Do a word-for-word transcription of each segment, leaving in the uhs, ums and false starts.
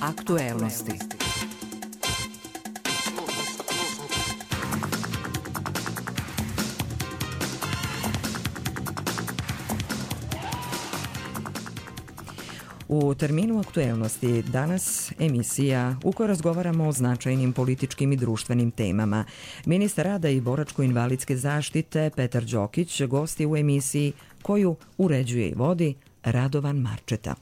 Aktuelnosti. U terminu aktuelnosti danas emisija u kojoj razgovaramo o značajnim političkim i društvenim temama. Ministar rada i boračko-invalidske zaštite Petar Đokić gost je u emisiji koju uređuje i vodi Radovan Marčeta.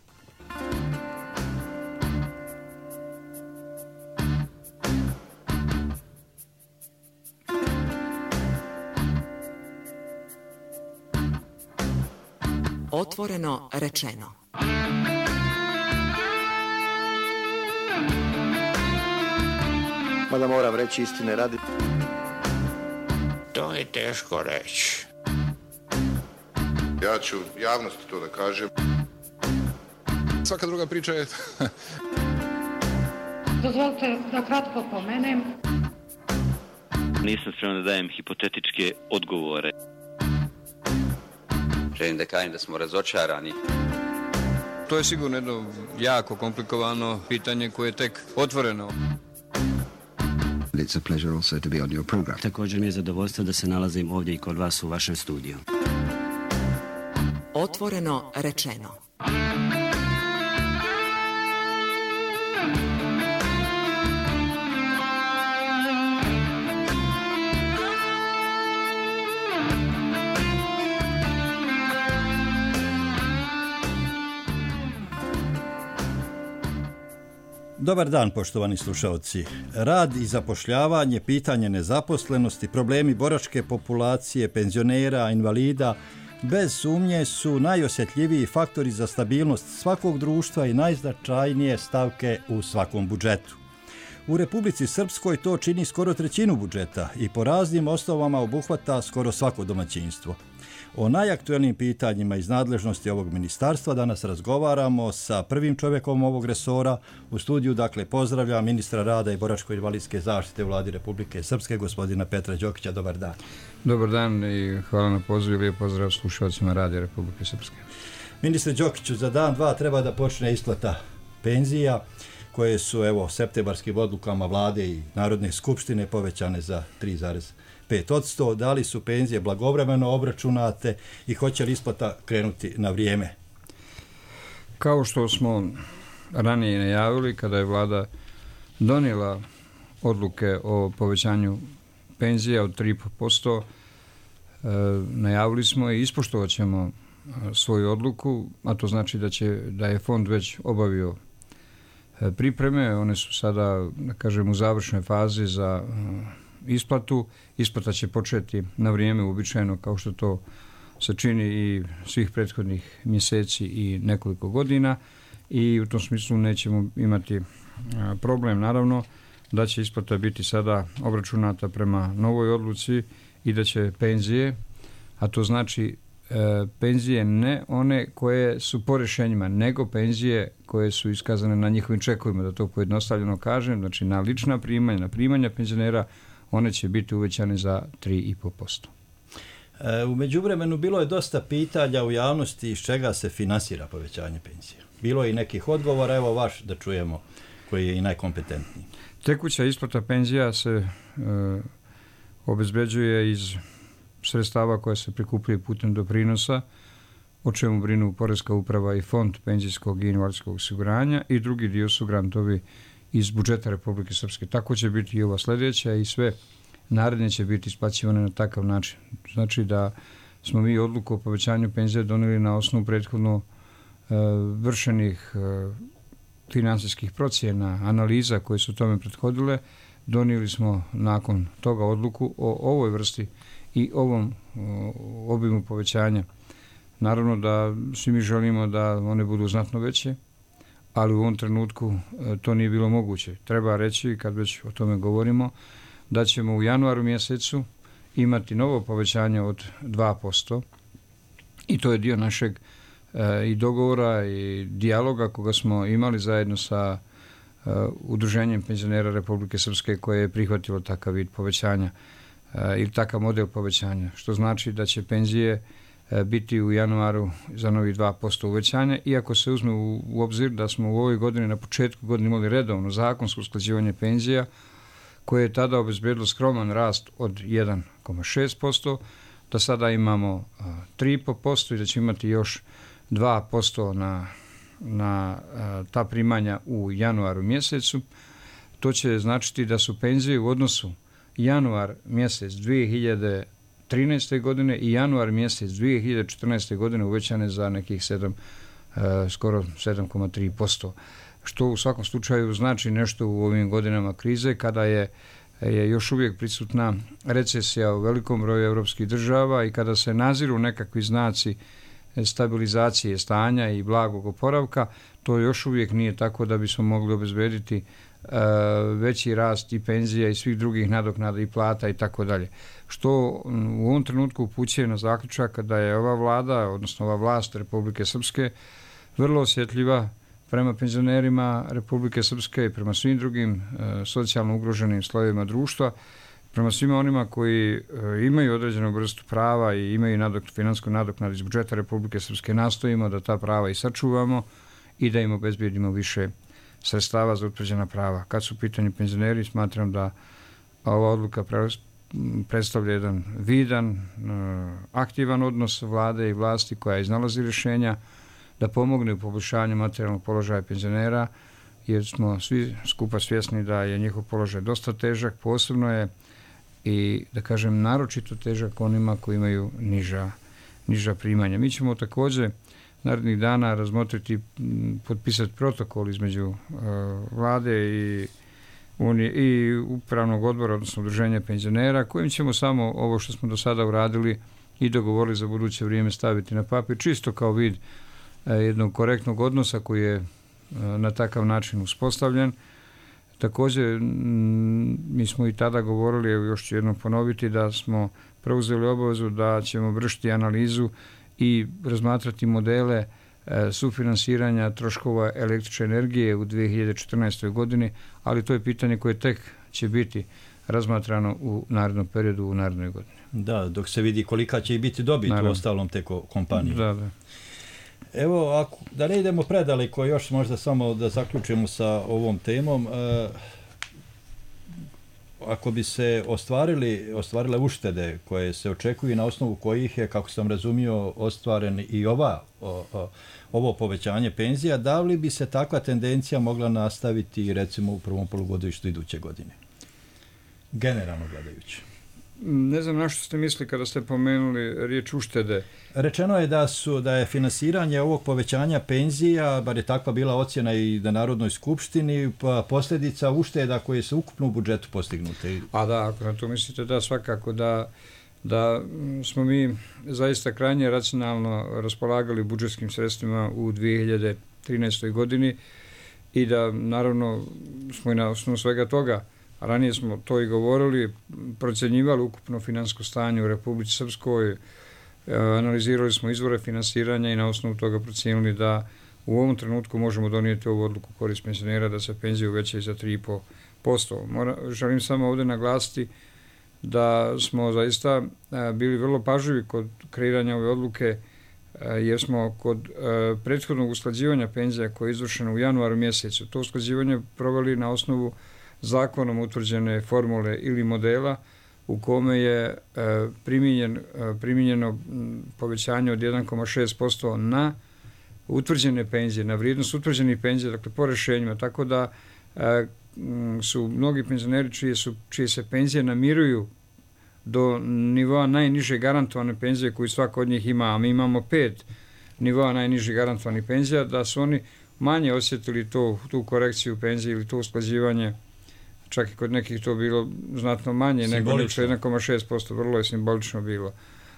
Otvoreno rečeno. Mada moram reći istine radi. To je teško reći. Ja ću javnosti to da kažem. Svaka druga priča je... Dozvolite da kratko pomenem. Nisam spreman da dajem hipotetičke odgovore. Želim da kažem da smo razočarani. To je sigurno jedno jako komplikovano pitanje koje je tek otvoreno. It's a pleasure also to be on your program. Također mi je zadovoljstvo da se nalazim ovdje i kod vas u vašem studiju. Otvoreno rečeno. Dobar dan, poštovani slušalci. Rad i zapošljavanje, pitanje nezaposlenosti, problemi boračke populacije, penzionera, invalida, bez sumnje su najosjetljiviji faktori za stabilnost svakog društva i najznačajnije stavke u svakom budžetu. U Republici Srpskoj to čini skoro trećinu budžeta i po raznim osnovama obuhvata skoro svako domaćinstvo. O najaktuelnijim pitanjima iz nadležnosti ovog ministarstva danas razgovaramo sa prvim čovjekom ovog resora. U studiju, dakle, pozdravljam ministra rada i boračko-invalidske zaštite u Vladi Republike Srpske, gospodina Petra Đokića. Dobar dan. Dobar dan i hvala na pozivu. Lijep pozdrav slušalcima Radija Republike Srpske. Ministre Đokiću, za dan, dva treba da počne isplata penzija koje su, evo, septembarskim odlukama Vlade i Narodne skupštine povećane za tri zarez pet posto. Da li su penzije blagovremeno obračunate i hoće li isplata krenuti na vrijeme? Kao što smo ranije najavili, kada je Vlada donijela odluke o povećanju penzija od tri i po posto, najavili smo i ispoštovat ćemo svoju odluku, a to znači da, će, da je fond već obavio pripreme. One su sada, da kažem, u završnoj fazi za isplatu. Isplata će početi na vrijeme uobičajeno, kao što to se čini i svih prethodnih mjeseci i nekoliko godina, i u tom smislu nećemo imati problem. Naravno da će isplata biti sada obračunata prema novoj odluci i da će penzije, a to znači e, penzije ne one koje su po rješenjima, nego penzije koje su iskazane na njihovim čekovima, da to pojednostavljeno kažem, znači na lična primanja, na primanja penzionera, one će biti uvećane za tri i po posto. E, u međuvremenu bilo je dosta pitanja u javnosti iz čega se finansira povećanje penzija. Bilo je i nekih odgovora, evo vaš da čujemo, koji je i najkompetentniji. Tekuća isplata penzija se e, obezbeđuje iz sredstava koja se prikupljaju putem doprinosa, o čemu brinu Poreska uprava i Fond penzijskog i invalidskog osiguranja, i drugi dio su grantovi iz budžeta Republike Srpske. Tako će biti i ova sljedeća i sve naredne će biti isplaćivane na takav način. Znači da smo mi odluku o povećanju penzije donijeli na osnovu prethodno e, vršenih e, finansijskih procjena, analiza koje su tome prethodile. Donijeli smo nakon toga odluku o ovoj vrsti i ovom o, obimu povećanja. Naravno da svi mi želimo da one budu znatno veće, ali u ovom trenutku to nije bilo moguće. Treba reći, kad već o tome govorimo, da ćemo u januaru mjesecu imati novo povećanje od dva posto i to je dio našeg e, i dogovora i dijaloga koga smo imali zajedno sa e, Udruženjem penzionera Republike Srpske koje je prihvatilo takav vid povećanja e, ili takav model povećanja, što znači da će penzije biti u januaru za novi dva posto uvećanja, iako se uzme u, u obzir da smo u ovoj godini na početku godine imali redovno zakonsko usklađivanje penzija koje je tada obezbedilo skroman rast od jedan zarez šest posto, da sada imamo a, tri zarez pet posto i da ćemo imati još dva posto na, na a, ta primanja u januaru mjesecu. To će značiti da su penzije u odnosu januar mjesec dvije hiljade trinaeste. godine i januar mjesec dvije hiljade četrnaeste. godine uvećane za nekih sedam, e, skoro sedam zarez tri posto, što u svakom slučaju znači nešto u ovim godinama krize kada je, je još uvijek prisutna recesija u velikom broju europskih država i kada se naziru nekakvi znaci stabilizacije stanja i blagog oporavka. To još uvijek nije tako da bismo mogli obezbediti veći rast i penzija i svih drugih nadoknada i plata i tako dalje. Što u ovom trenutku upućuje na zaključak da je ova vlada, odnosno ova vlast Republike Srpske vrlo osjetljiva prema penzionerima Republike Srpske i prema svim drugim e, socijalno ugroženim slojevima društva, prema svima onima koji e, imaju određenu vrstu prava i imaju nadok, finansku nadoknadu iz budžeta Republike Srpske. Nastojimo da ta prava i sačuvamo i da im obezbijedimo više sredstava za utvrđena prava. Kad su u pitanju penzioneri, smatram da ova odluka predstavlja jedan vidan, aktivan odnos vlade i vlasti koja iznalazi rješenja da pomogne u poboljšanju materijalnog položaja penzionera, jer smo svi skupa svjesni da je njihov položaj dosta težak, posebno je i, da kažem, naročito težak onima koji imaju niža, niža primanja. Mi ćemo također narednih dana razmotriti, potpisati protokol između uh, vlade i, unije, i upravnog odbora, odnosno udruženja penzionera, kojim ćemo samo ovo što smo do sada uradili i dogovorili za buduće vrijeme staviti na papir, čisto kao vid uh, jednog korektnog odnosa koji je uh, na takav način uspostavljen. Također, m, mi smo i tada govorili, evo još ću jednom ponoviti, da smo preuzeli obavezu da ćemo vršiti analizu i razmatrati modele e, sufinansiranja troškova električne energije u dvije hiljade četrnaestoj. godini, ali to je pitanje koje tek će biti razmatrano u narednom periodu, u narednoj godini. Da, dok se vidi kolika će i biti dobit u ostalom te kompanije. Da, da. Evo, ako, da ne idemo predaleko, još možda samo da zaključimo sa ovom temom. E, ako bi se ostvarili, ostvarile uštede koje se očekuju na osnovu kojih je, kako sam razumio, ostvaren i ova, o, o, ovo povećanje penzija, da li bi se takva tendencija mogla nastaviti recimo u prvom polugodištu iduće godine? Generalno gledajući. Ne znam na što ste mislili kada ste pomenuli riječ uštede. Rečeno je da su da je finansiranje ovog povećanja penzija, bar je takva bila ocjena i na Narodnoj skupštini, pa posljedica ušteda koje se ukupno u budžetu postignute. A da, ako na to mislite, da, svakako da, da smo mi zaista krajnje racionalno raspolagali budžetskim sredstvima u dvije hiljade trinaestoj. godini i da naravno smo i na osnovu svega toga, a ranije smo to i govorili, procjenjivali ukupno finansko stanje u Republici Srpskoj, analizirali smo izvore finansiranja i na osnovu toga procijenili da u ovom trenutku možemo donijeti ovu odluku korist penzionera da se penzije uvećaju za tri zarez pet posto. Želim samo ovdje naglasiti da smo zaista bili vrlo pažljivi kod kreiranja ove odluke, jer smo kod prethodnog usklađivanja penzija koje je izvršeno u januaru mjesecu, to usklađivanje proveli na osnovu zakonom utvrđene formule ili modela u kome je primijenjen, primijenjeno povećanje od jedan zarez šest posto na utvrđene penzije, na vrijednost utvrđenih penzija, dakle po rješenjima, tako da su mnogi penzioneri čije, su, čije se penzije namiruju do nivoa najniže garantovane penzije koju svako od njih ima, a mi imamo pet nivoa najniže garantovane penzija, da su oni manje osjetili to, tu korekciju penzije ili to usklađivanje. Čak i kod nekih to bilo znatno manje nego jedan zarez šest posto, vrlo je simbolično bilo.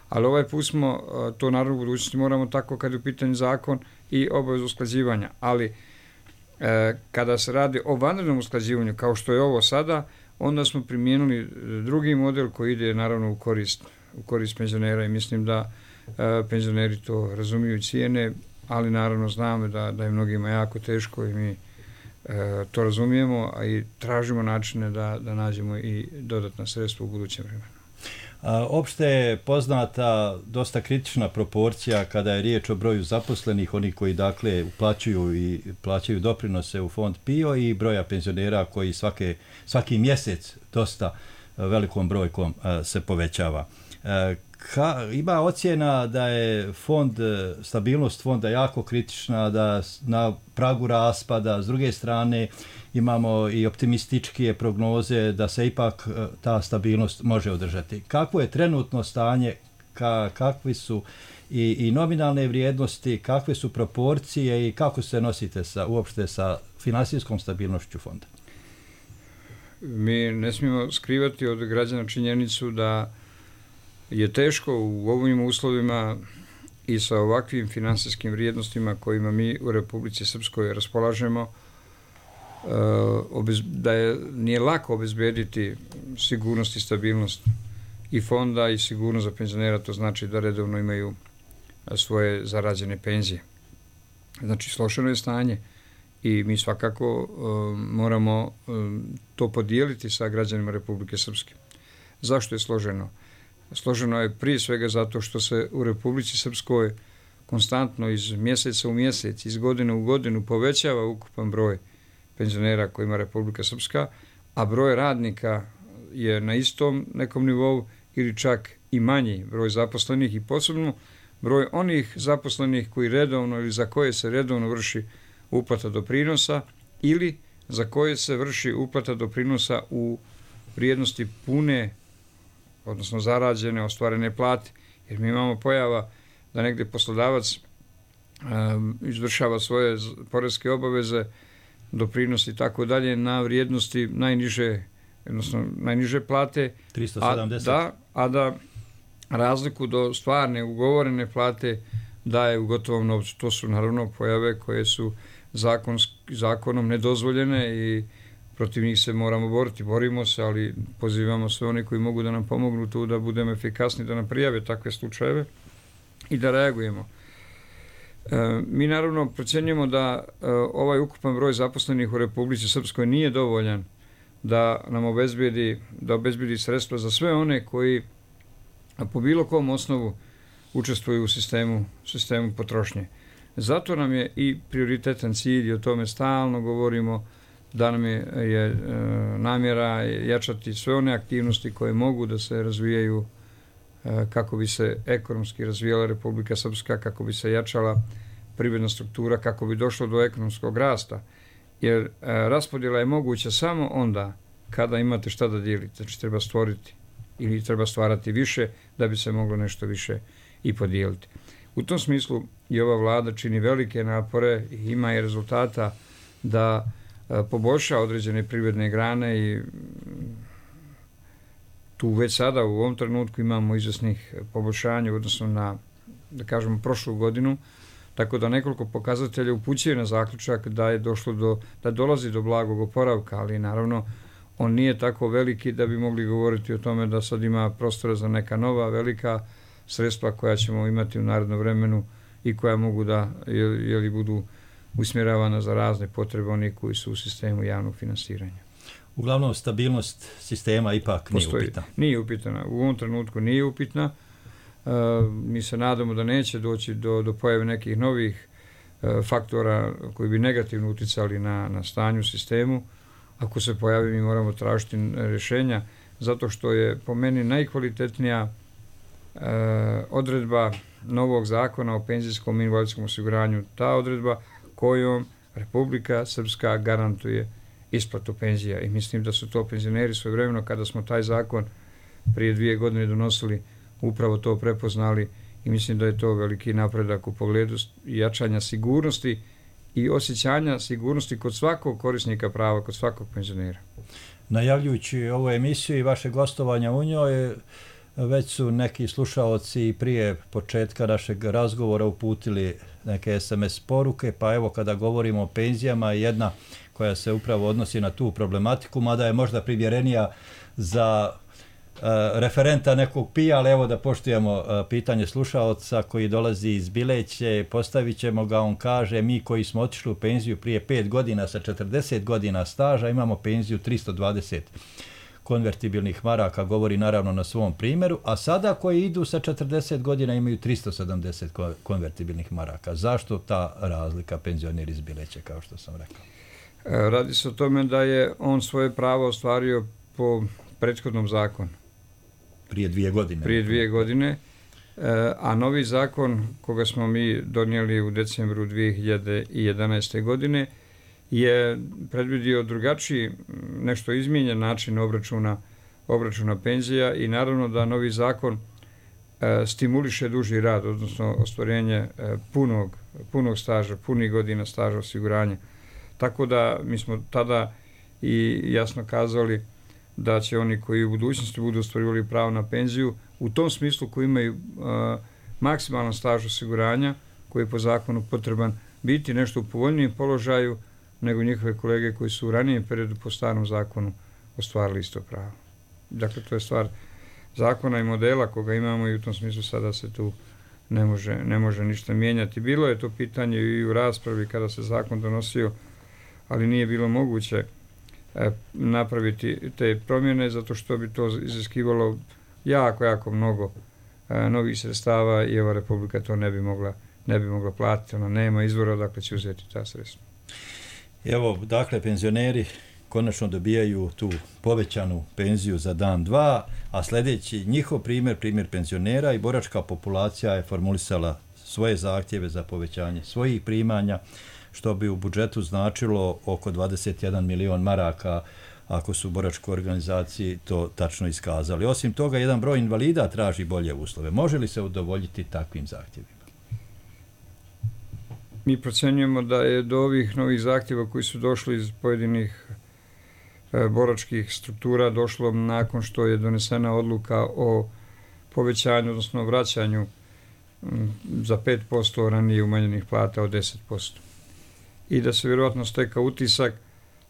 Ali ovaj put smo, to naravno u budućnosti moramo tako kad je u pitanju zakon i obavezu usklađivanja. Ali e, kada se radi o vanrednom usklađivanju, kao što je ovo sada, onda smo primijenili drugi model koji ide naravno u korist, u korist penzionera i mislim da e, penzioneri to razumiju i cijene, ali naravno znamo da, da je mnogima jako teško i mi E, to razumijemo, a i tražimo načine da, da nađemo i dodatna sredstva u budućem vremenu. Opšte je poznata dosta kritična proporcija kada je riječ o broju zaposlenih, oni koji dakle uplaćuju i plaćaju doprinose u fond P I O i broja penzionera koji svake, svaki mjesec dosta velikom brojkom se povećava. Ka, ima ocjena da je fond, stabilnost fonda jako kritična, da na pragu raspada, s druge strane imamo i optimističke prognoze da se ipak ta stabilnost može održati. Kakvo je trenutno stanje, ka, kakvi su i, i nominalne vrijednosti, kakve su proporcije i kako se nosite sa, uopšte sa finansijskom stabilnošću fonda? Mi ne smijemo skrivati od građana činjenicu da je teško u ovim uslovima i sa ovakvim finansijskim vrijednostima kojima mi u Republici Srpskoj raspolažemo, da je, nije lako obezbediti sigurnost i stabilnost i fonda i sigurnost za penzionera, to znači da redovno imaju svoje zarađene penzije. Znači, složeno je stanje i mi svakako moramo to podijeliti sa građanima Republike Srpske. Zašto je složeno? Složeno je prije svega zato što se u Republici Srpskoj konstantno iz mjeseca u mjesec, iz godine u godinu povećava ukupan broj penzionera koji ima Republika Srpska, a broj radnika je na istom nekom nivou ili čak i manji broj zaposlenih i posebno broj onih zaposlenih koji redovno ili za koje se redovno vrši uplata doprinosa ili za koje se vrši uplata doprinosa u vrijednosti pune, odnosno zarađene, ostvarene plate. Jer mi imamo pojava da negdje poslodavac um, izvršava svoje poreske obaveze, doprinosi i tako dalje na vrijednosti najniže, odnosno najniže plate, tristo sedamdeset. A da, a da razliku do stvarne ugovorene plate daje u gotovom novcu. To su naravno pojave koje su zakonsk, zakonom nedozvoljene i protiv njih se moramo boriti. Borimo se, ali pozivamo sve one koji mogu da nam pomognu tu da budemo efikasni, da nam prijave takve slučajeve i da reagujemo. E, mi naravno procjenjujemo da e, ovaj ukupan broj zaposlenih u Republici Srpskoj nije dovoljan da nam obezbedi, da obezbedi sredstva za sve one koji po bilo kom osnovu učestvuju u sistemu, sistemu potrošnje. Zato nam je i prioritetan cilj i o tome stalno govorimo, da nam je, je e, namjera jačati sve one aktivnosti koje mogu da se razvijaju e, kako bi se ekonomski razvijala Republika Srpska, kako bi se jačala privredna struktura, kako bi došlo do ekonomskog rasta. Jer e, raspodjela je moguća samo onda kada imate šta da dijelite. Znači treba stvoriti ili treba stvarati više da bi se moglo nešto više i podijeliti. U tom smislu i ova vlada čini velike napore i ima i rezultata da poboljša određene privredne grane i tu već sada u ovom trenutku imamo izvesnih poboljšanja odnosno na, da kažemo, prošlu godinu, tako da nekoliko pokazatelja upućuje na zaključak da je došlo do, da dolazi do blagog oporavka, ali naravno on nije tako veliki da bi mogli govoriti o tome da sad ima prostora za neka nova velika sredstva koja ćemo imati u narednom vremenu i koja mogu da jeli, jeli budu usmjeravana za razne potrebe onih koji su u sistemu javnog finansiranja. Uglavnom, stabilnost sistema ipak nije Postoji, upitna. Nije upitna. U ovom trenutku nije upitna. E, mi se nadamo da neće doći do, do pojave nekih novih e, faktora koji bi negativno uticali na, na stanju u sistemu. Ako se pojavi, mi moramo tražiti rješenja, zato što je po meni najkvalitetnija e, odredba novog zakona o penzijskom i invalidskom osiguranju ta odredba kojom Republika Srpska garantuje isplatu penzija. I mislim da su to penzioneri svojevremeno, kada smo taj zakon prije dvije godine donosili, upravo to prepoznali i mislim da je to veliki napredak u pogledu jačanja sigurnosti i osjećanja sigurnosti kod svakog korisnika prava, kod svakog penzionera. Najavljujući ovu emisiju i vaše gostovanja u njoj, već su neki slušaoci prije početka našeg razgovora uputili neke es em es poruke, pa evo kada govorimo o penzijama, jedna koja se upravo odnosi na tu problematiku, mada je možda primjerenija za uh, referenta nekog P I A, ali evo da poštujemo uh, pitanje slušaoca koji dolazi iz Bileće, postavit ćemo ga, on kaže, mi koji smo otišli u penziju prije pet godina sa četrdeset godina staža, imamo penziju tristo dvadeset konvertibilnih maraka, govori naravno na svom primjeru, a sada koji idu sa četrdeset godina imaju tristo sedamdeset konvertibilnih maraka. Zašto ta razlika, penzioneri iz Bileće, kao što sam rekao? Radi se o tome da je on svoje pravo ostvario po prethodnom zakonu. Prije dvije godine. Prije dvije godine, a novi zakon koga smo mi donijeli u decembru dvije hiljade jedanaeste. godine je predvidio drugačiji, nešto izmijenjen način obračuna, obračuna penzija i naravno da novi zakon stimuliše duži rad, odnosno ostvarenje punog, punog staža, punih godina staža osiguranja. Tako da mi smo tada i jasno kazali da će oni koji u budućnosti budu ostvarivali pravo na penziju, u tom smislu koji imaju uh, maksimalan staž osiguranja, koji je po zakonu potreban, biti nešto u povoljnijem položaju nego njihove kolege koji su u ranijem periodu po starom zakonu ostvarili isto pravo. Dakle, to je stvar zakona i modela koga imamo i u tom smislu sada se tu ne može, ne može ništa mijenjati. Bilo je to pitanje i u raspravi kada se zakon donosio, ali nije bilo moguće e, napraviti te promjene zato što bi to iziskivalo jako, jako mnogo e, novih sredstava i ova Republika to ne bi mogla, ne bi mogla platiti. Ona nema izvora odakle će uzeti ta sredstva. Evo, dakle, penzioneri konačno dobijaju tu povećanu penziju za dan dva, a sljedeći njihov primjer, primjer penzionera i boračka populacija je formulisala svoje zahtjeve za povećanje svojih primanja, što bi u budžetu značilo oko dvadeset jedan milion maraka, ako su boračkoj organizaciji to tačno iskazali. Osim toga, jedan broj invalida traži bolje uslove. Može li se udovoljiti takvim zahtjevima? Mi procjenjujemo da je do ovih novih zahtjeva koji su došli iz pojedinih e, boračkih struktura došlo nakon što je donesena odluka o povećanju, odnosno vraćanju m, za pet posto ranije umanjenih plata od deset posto. I da se vjerojatno steka utisak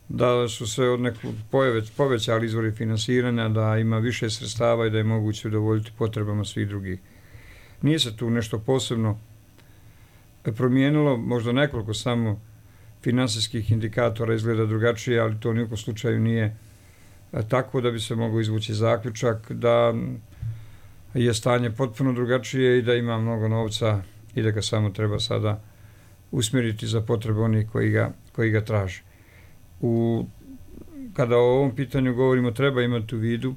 da su se od nekog povećali izvori finansiranja, da ima više sredstava i da je moguće udovoljiti potrebama svih drugih. Nije se tu nešto posebno promijenilo, možda nekoliko samo finansijskih indikatora izgleda drugačije, ali to nijekom slučaju nije tako da bi se mogao izvući zaključak da je stanje potpuno drugačije i da ima mnogo novca i da ga samo treba sada usmjeriti za potrebe onih koji ga, koji ga traže. U, kada o ovom pitanju govorimo, treba imati u vidu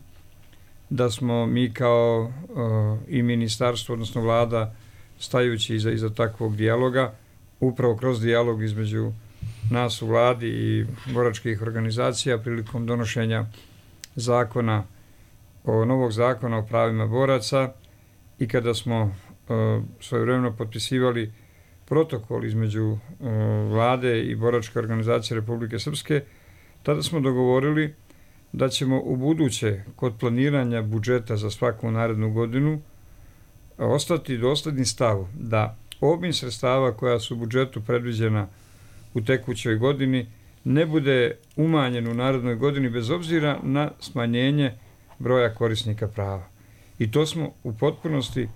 da smo mi kao uh, i ministarstvo, odnosno vlada, stajući iza, iza takvog dijaloga, upravo kroz dijalog između nas u vladi i boračkih organizacija prilikom donošenja zakona, o novog zakona o pravima boraca i kada smo uh, svojevremeno potpisivali protokol između uh, vlade i boračke organizacije Republike Srpske, tada smo dogovorili da ćemo u buduće kod planiranja budžeta za svaku narednu godinu ostati dosledni stavu da obim sredstava koja su u budžetu predviđena u tekućoj godini ne bude umanjen u narednoj godini bez obzira na smanjenje broja korisnika prava. I to smo u potpunosti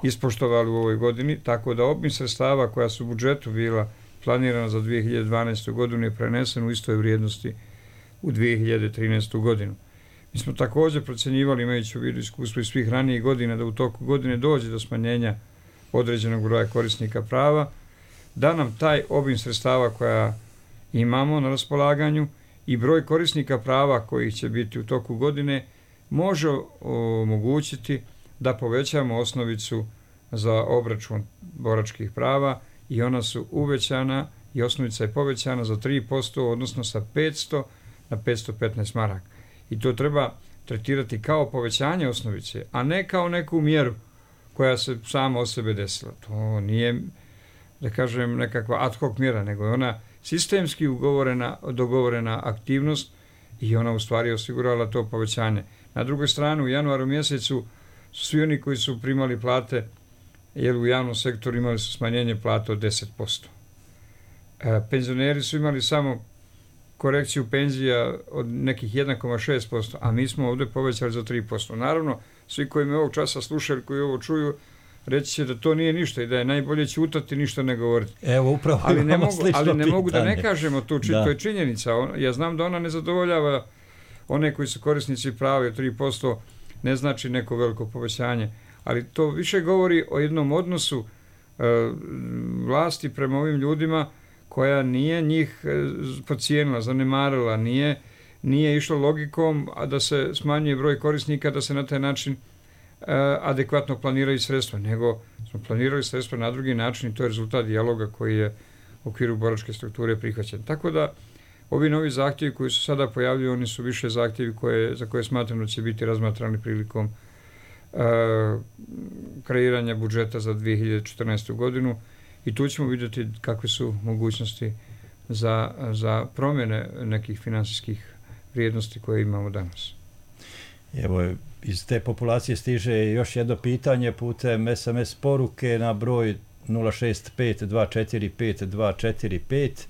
ispoštovali u ovoj godini, tako da obim sredstava koja su u budžetu bila planirana za dvije hiljade dvanaestu. godinu je prenesen u istoj vrijednosti u dvije hiljade trinaestu. godinu. Mi smo također procjenjivali, imajući u vidu iskustvo iz svih ranijih godina, da u toku godine dođe do smanjenja određenog broja korisnika prava, da nam taj obim sredstava koja imamo na raspolaganju i broj korisnika prava koji će biti u toku godine može omogućiti da povećamo osnovicu za obračun boračkih prava i ona su uvećana i osnovica je povećana za tri posto, odnosno sa petsto na petsto petnaest maraka. I to treba tretirati kao povećanje osnovice, a ne kao neku mjeru koja se sama od sebe desila. To nije, da kažem, nekakva ad hoc mjera, nego je ona sistemski ugovorena, dogovorena aktivnost i ona u stvari osigurala to povećanje. Na drugoj strani, u januaru mjesecu svi oni koji su primali plate, jer u javnom sektoru imali su smanjenje plata od deset posto. E, penzioneri su imali samo korekciju penzija od nekih jedan zarez šest posto, a mi smo ovdje povećali za tri posto. Naravno, svi koji me ovog časa slušaju, koji ovo čuju, reći će da to nije ništa i da je najbolje ćutati, ništa ne govoriti. Evo, upravo ali ne mogu, ali ne mogu da ne kažemo to, či, to je činjenica. Ja znam da ona ne zadovoljava one koji su korisnici prava od tri posto ne znači neko veliko povećanje, ali to više govori o jednom odnosu e, vlasti prema ovim ljudima koja nije njih e, podcijenila, zanemarila, nije, nije išla logikom a da se smanjuje broj korisnika, da se na taj način e, adekvatno planiraju sredstva, nego smo planirali sredstva na drugi način i to je rezultat dijaloga koji je u okviru boračke strukture prihvaćen. Tako da ovi novi zahtjevi koji su sada pojavljuju, oni su više zahtjevi koje, za koje smatram da će biti razmatrani prilikom uh, kreiranja budžeta za dvije hiljade četrnaestu. godinu i tu ćemo vidjeti kakve su mogućnosti za, za promjene nekih finansijskih vrijednosti koje imamo danas. Evo, iz te populacije stiže još jedno pitanje putem es em es poruke na broj nula šest pet dva četiri pet dva četiri pet.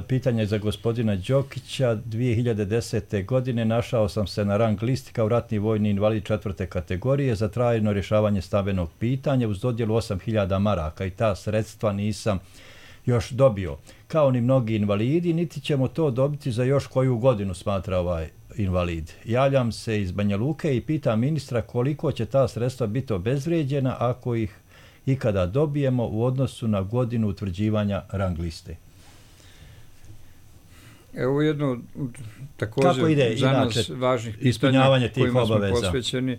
Pitanje za gospodina Đokića. dvije hiljade desete. godine našao sam se na rang listi kao ratni vojni invalid četvrte kategorije za trajno rješavanje stambenog pitanja uz dodjelu osam hiljada maraka i ta sredstva nisam još dobio. Kao ni mnogi invalidi, niti ćemo to dobiti za još koju godinu, smatra ovaj invalid. Javljam se iz Banja Luke i pitam ministra koliko će ta sredstva biti obezvrijeđena ako ih ikada dobijemo u odnosu na godinu utvrđivanja rang liste. Evo jedno također ide, za inače, nas važnih pitanja kojima smo posvećeni. E,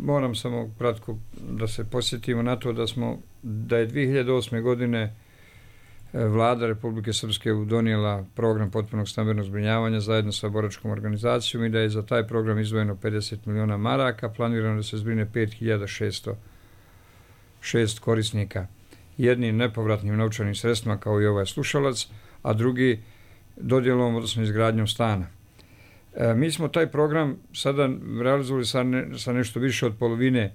moram samo kratko da se posjetimo na to da smo da je dvije hiljade osme. godine Vlada Republike Srpske donijela program potpunog stambenog zbrinjavanja zajedno sa boračkom organizacijom i da je za taj program izdvojeno pedeset miliona maraka, planirano da se zbrine pet hiljada šesto šest korisnika. Jednim nepovratnim novčanim sredstvima kao i ovaj slušalac, a drugi dodjelom, odnosno izgradnjom stana. E, mi smo taj program sada realizovali sa, ne, sa nešto više od polovine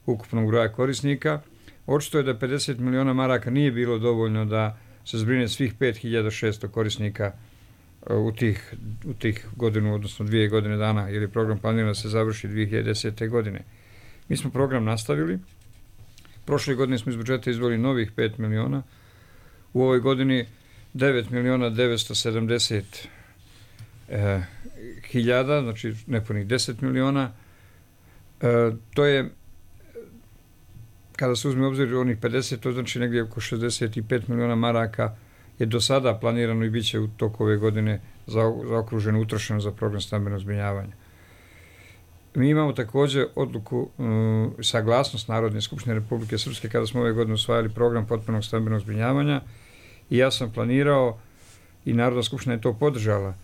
ukupnog broja korisnika. Očito je da pedeset miliona maraka nije bilo dovoljno da se zbrine svih pet hiljada šesto korisnika u tih, u tih godinu, odnosno dvije godine dana, jer je program planiran da se završi dvije hiljade desete. godine. Mi smo program nastavili. Prošle godine smo iz budžeta izdvojili novih pet miliona. U ovoj godini devet miliona devetsto sedamdeset e, hiljada, znači nepunih deset miliona. E, to je, kada se uzme obzir onih pedeset, to znači negdje oko šezdeset pet miliona maraka je do sada planirano i bit će u toku ove godine zaokruženo, utrošeno za program stambenog zbrinjavanja. Mi imamo također odluku, um, saglasnost Narodne skupštine Republike Srpske kada smo ove godine usvajali program potpunog stambenog zbrinjavanja i ja sam planirao i Narodna skupština je to podržala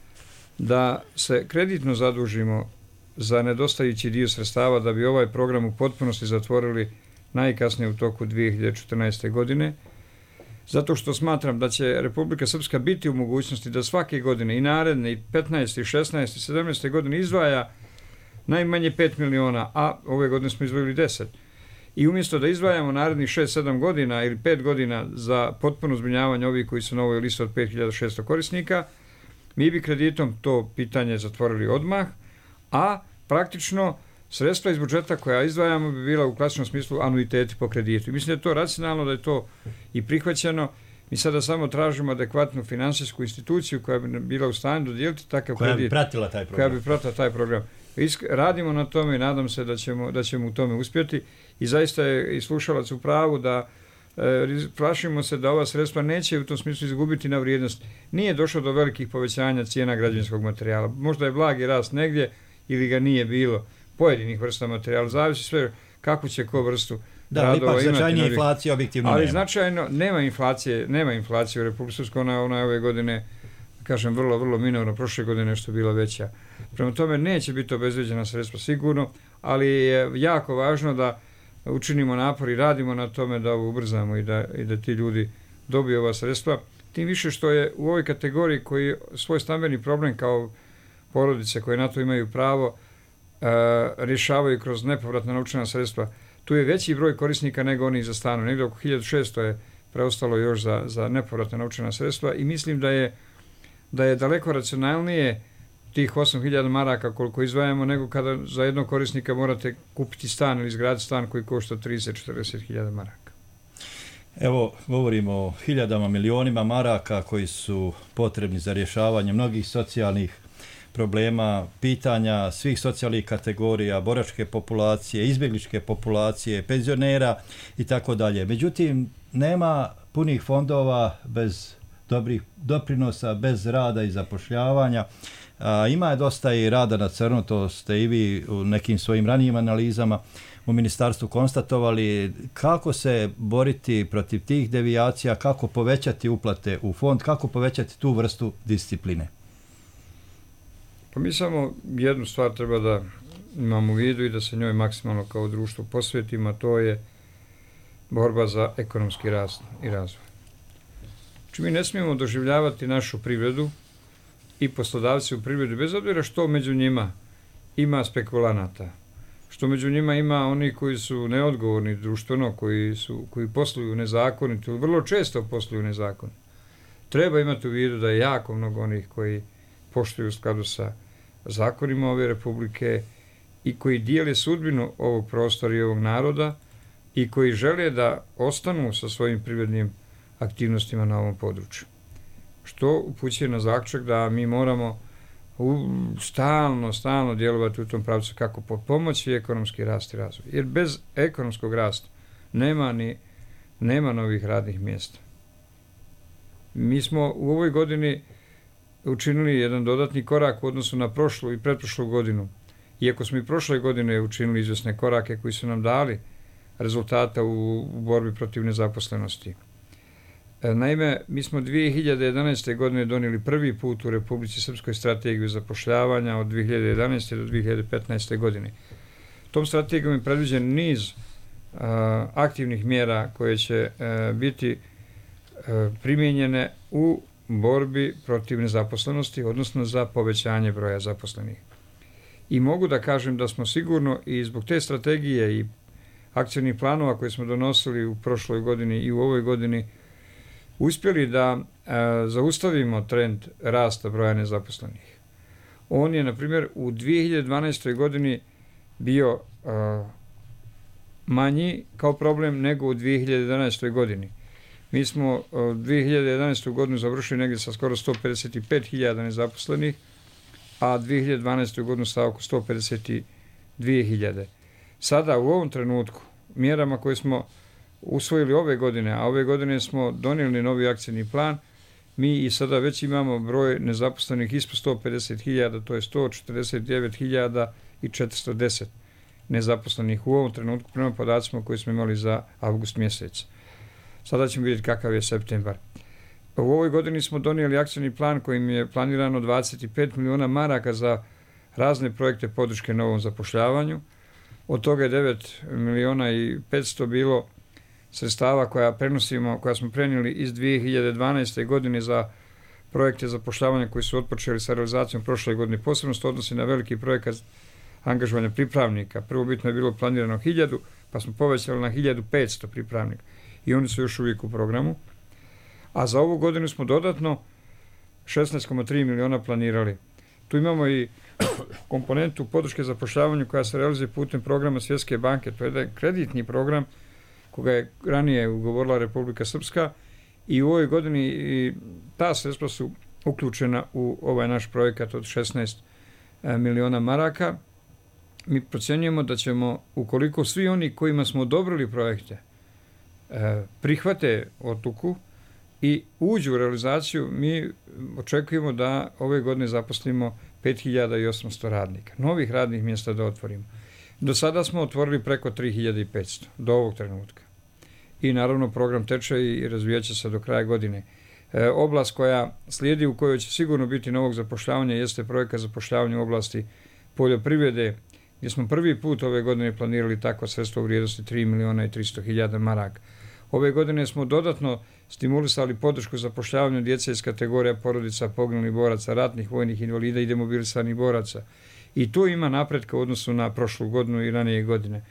da se kreditno zadužimo za nedostajući dio sredstava da bi ovaj program u potpunosti zatvorili najkasnije u toku dvije hiljade četrnaeste. godine, zato što smatram da će Republika Srpska biti u mogućnosti da svake godine i naredne i petnaeste, i šesnaeste, i sedamnaeste. godine izdvaja najmanje pet miliona, a ove godine smo izdvojili deset. I umjesto da izdvajamo narednih šest sedam godina ili pet godina za potpuno zbrinjavanje ovih koji su na ovoj listi od pet hiljada šesto korisnika, mi bi kreditom to pitanje zatvorili odmah, a praktično sredstva iz budžeta koja izdvajamo bi bila u klasičnom smislu anuiteti po kreditu. I mislim da je to racionalno, da je to i prihvaćeno. Mi sada samo tražimo adekvatnu finansijsku instituciju koja bi bila u stanju dodijeliti takav koja kredit. Bi pratila taj program. Koja bi pratila taj program. Radimo na tome i nadam se da ćemo, da ćemo u tome uspjeti i zaista je i slušalac u pravu da e, plašimo se da ova sredstva neće u tom smislu izgubiti na vrijednost. Nije došlo do velikih povećanja cijena građevinskog materijala. Možda je blagi rast negdje ili ga nije bilo pojedinih vrsta materijala. Zavisi sve kako će ko vrstu da, radova imati. Da, ipak značajnije inflacije objektivno ali nema. značajno nema inflacije, nema inflacije u Republici Srpskoj, ona, ona ove godine kažem, vrlo, vrlo minorno, prošle godine nešto bila veća. Prema tome neće biti obezvrijeđena sredstva sigurno, ali je jako važno da učinimo napor i radimo na tome da ovo ubrzamo i da, i da ti ljudi dobiju ova sredstva. Tim više što je u ovoj kategoriji koji svoj stambeni problem kao porodice koje na to imaju pravo e, rješavaju kroz nepovratna novčana sredstva. Tu je veći broj korisnika nego onih za stanu. Negdje oko hiljadu šesto je preostalo još za, za nepovratna novčana sredstva i mislim da je da je daleko racionalnije tih osam hiljada maraka koliko izdvajamo nego kada za jednog korisnika morate kupiti stan ili izgraditi stan koji košta trideset do četrdeset hiljada maraka. Evo, govorimo o hiljadama, milionima maraka koji su potrebni za rješavanje mnogih socijalnih problema, pitanja svih socijalnih kategorija, boračke populacije, izbjegličke populacije, penzionera i tako dalje. Međutim, nema punih fondova bez dobrih doprinosa, bez rada i zapošljavanja. A, ima je dosta i rada na crno, to ste i vi u nekim svojim ranijim analizama u ministarstvu konstatovali. Kako se boriti protiv tih devijacija, kako povećati uplate u fond, kako povećati tu vrstu discipline? Pa mi samo jednu stvar treba da imamo u vidu i da se njoj maksimalno kao društvo posvetimo, a to je borba za ekonomski rast i razvoj. Znači mi ne smijemo doživljavati našu privredu i poslodavci u privredi, bez obzira što među njima ima spekulanata, što među njima ima oni koji su neodgovorni društveno, koji, su, koji posluju nezakonito, vrlo često posluju nezakonito. Treba imati u vidu da je jako mnogo onih koji poštuju u skladu sa zakonima ove republike i koji dijele sudbinu ovog prostora i ovog naroda i koji žele da ostanu sa svojim privrednim aktivnostima na ovom području. Što upućuje na zaključak da mi moramo u, stalno, stalno djelovati u tom pravcu kako pomoći ekonomski rast i razvoj. Jer bez ekonomskog rasta nema ni nema novih radnih mjesta. Mi smo u ovoj godini učinili jedan dodatni korak u odnosu na prošlu i pretprošlu godinu. Iako smo i prošle godine učinili izvjesne korake koji su nam dali rezultata u, u borbi protiv nezaposlenosti. Naime, mi smo dvije hiljade jedanaeste. godine donijeli prvi put u Republici Srpskoj strategiju zapošljavanja od dvije hiljade jedanaeste. do dvije hiljade petnaeste. godine. Tom strategijom je predviđen niz a, aktivnih mjera koje će a, biti a, primijenjene u borbi protiv nezaposlenosti, odnosno za povećanje broja zaposlenih. I mogu da kažem da smo sigurno i zbog te strategije i akcijnih planova koje smo donosili u prošloj godini i u ovoj godini uspjeli da e, zaustavimo trend rasta broja nezaposlenih. On je, na primjer, u dvije hiljade dvanaestoj. godini bio e, manji kao problem nego u dvije hiljade jedanaestoj. godini. Mi smo e, dvije hiljade jedanaestu. godinu završili negdje sa skoro sto pedeset pet hiljada nezaposlenih, a dvije hiljade dvanaestu. godinu sa oko sto pedeset dvije hiljade. Sada, u ovom trenutku, mjerama koje smo usvojili ove godine, a ove godine smo donijeli novi akcijni plan, mi i sada već imamo broj nezaposlenih ispod sto pedeset hiljada, to je sto četrdeset devet hiljada i četiristo deset nezaposlenih u ovom trenutku prema podacima koje smo imali za avgust mjesec. Sada ćemo vidjeti kakav je septembar. U ovoj godini smo donijeli akcijni plan kojim je planirano dvadeset pet miliona maraka za razne projekte podrške novom zapošljavanju. Od toga je devet miliona i petsto bilo sredstava koja prenosimo, koja smo prenijeli iz dvije hiljade dvanaeste. godine za projekte zapošljavanja koji su otpočeli sa realizacijom prošle godine. Posebno se odnosi na veliki projekat angažovanja pripravnika. Prvobitno je bilo planirano hiljadu, pa smo povećali na hiljadu petsto pripravnika. I oni su još uvijek u programu. A za ovu godinu smo dodatno šesnaest zarez tri miliona planirali. Tu imamo i komponentu podrške zapošljavanju koja se realizuje putem programa Svjetske banke. To je jedan kreditni program koga je ranije ugovorila Republika Srpska i u ovoj godini i ta sredstva su uključena u ovaj naš projekat od šesnaest miliona maraka. Mi procjenjujemo da ćemo, ukoliko svi oni kojima smo odobrili projekte prihvate odluku i uđu u realizaciju, mi očekujemo da ove godine zaposlimo pet hiljada osamsto radnika, novih radnih mjesta da otvorimo. Do sada smo otvorili preko tri hiljade petsto do ovog trenutka. I naravno program teče i razvijat će se do kraja godine. E, oblast koja slijedi, u kojoj će sigurno biti novog zapošljavanja, jeste projekat zapošljavanja u oblasti poljoprivrede, gdje smo prvi put ove godine planirali takva sredstva u vrijednosti tri miliona i tristo hiljada maraka. Ove godine smo dodatno stimulisali podršku zapošljavanju djece iz kategorija porodica poginulih boraca, ratnih vojnih invalida i demobilisanih boraca. I tu ima napretka u odnosu na prošlu godinu i ranije godine.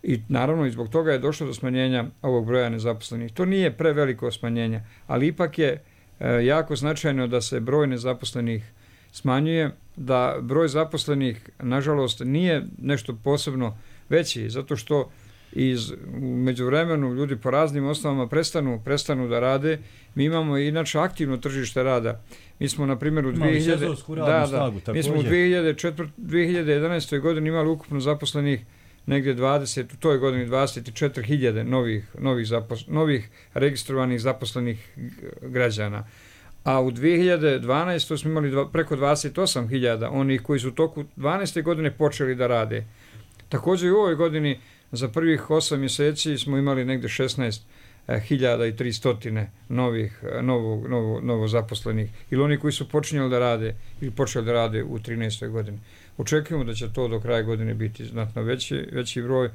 I naravno i zbog toga je došlo do smanjenja ovog broja nezaposlenih. To nije preveliko smanjenje, ali ipak je e, jako značajno da se broj nezaposlenih smanjuje, da broj zaposlenih, nažalost, nije nešto posebno veći, zato što iz, u međuvremenu ljudi po raznim osnovama prestanu, prestanu da rade. Mi imamo inače aktivno tržište rada. Mi smo, na primjer, u dvije hiljade da, da, mi smo u dvije hiljade četvrte, dvije hiljade jedanaeste. godini imali ukupno zaposlenih negdje dvadeset, u toj godini dvadeset četiri hiljade novih, novih, zapos, novih registrovanih zaposlenih građana. A u dvije hiljade dvanaestoj. smo imali dva, preko dvadeset osam hiljada onih koji su u toku dvanaeste. godine počeli da rade. Također i u ovoj godini za prvih osam mjeseci smo imali negdje šesnaest hiljada i tristo novih, novo, novo, novo zaposlenih. Ili oni koji su počinjali da rade ili počeli da rade u trinaestoj. godini. Očekujemo da će to do kraja godine biti znatno veći, veći broj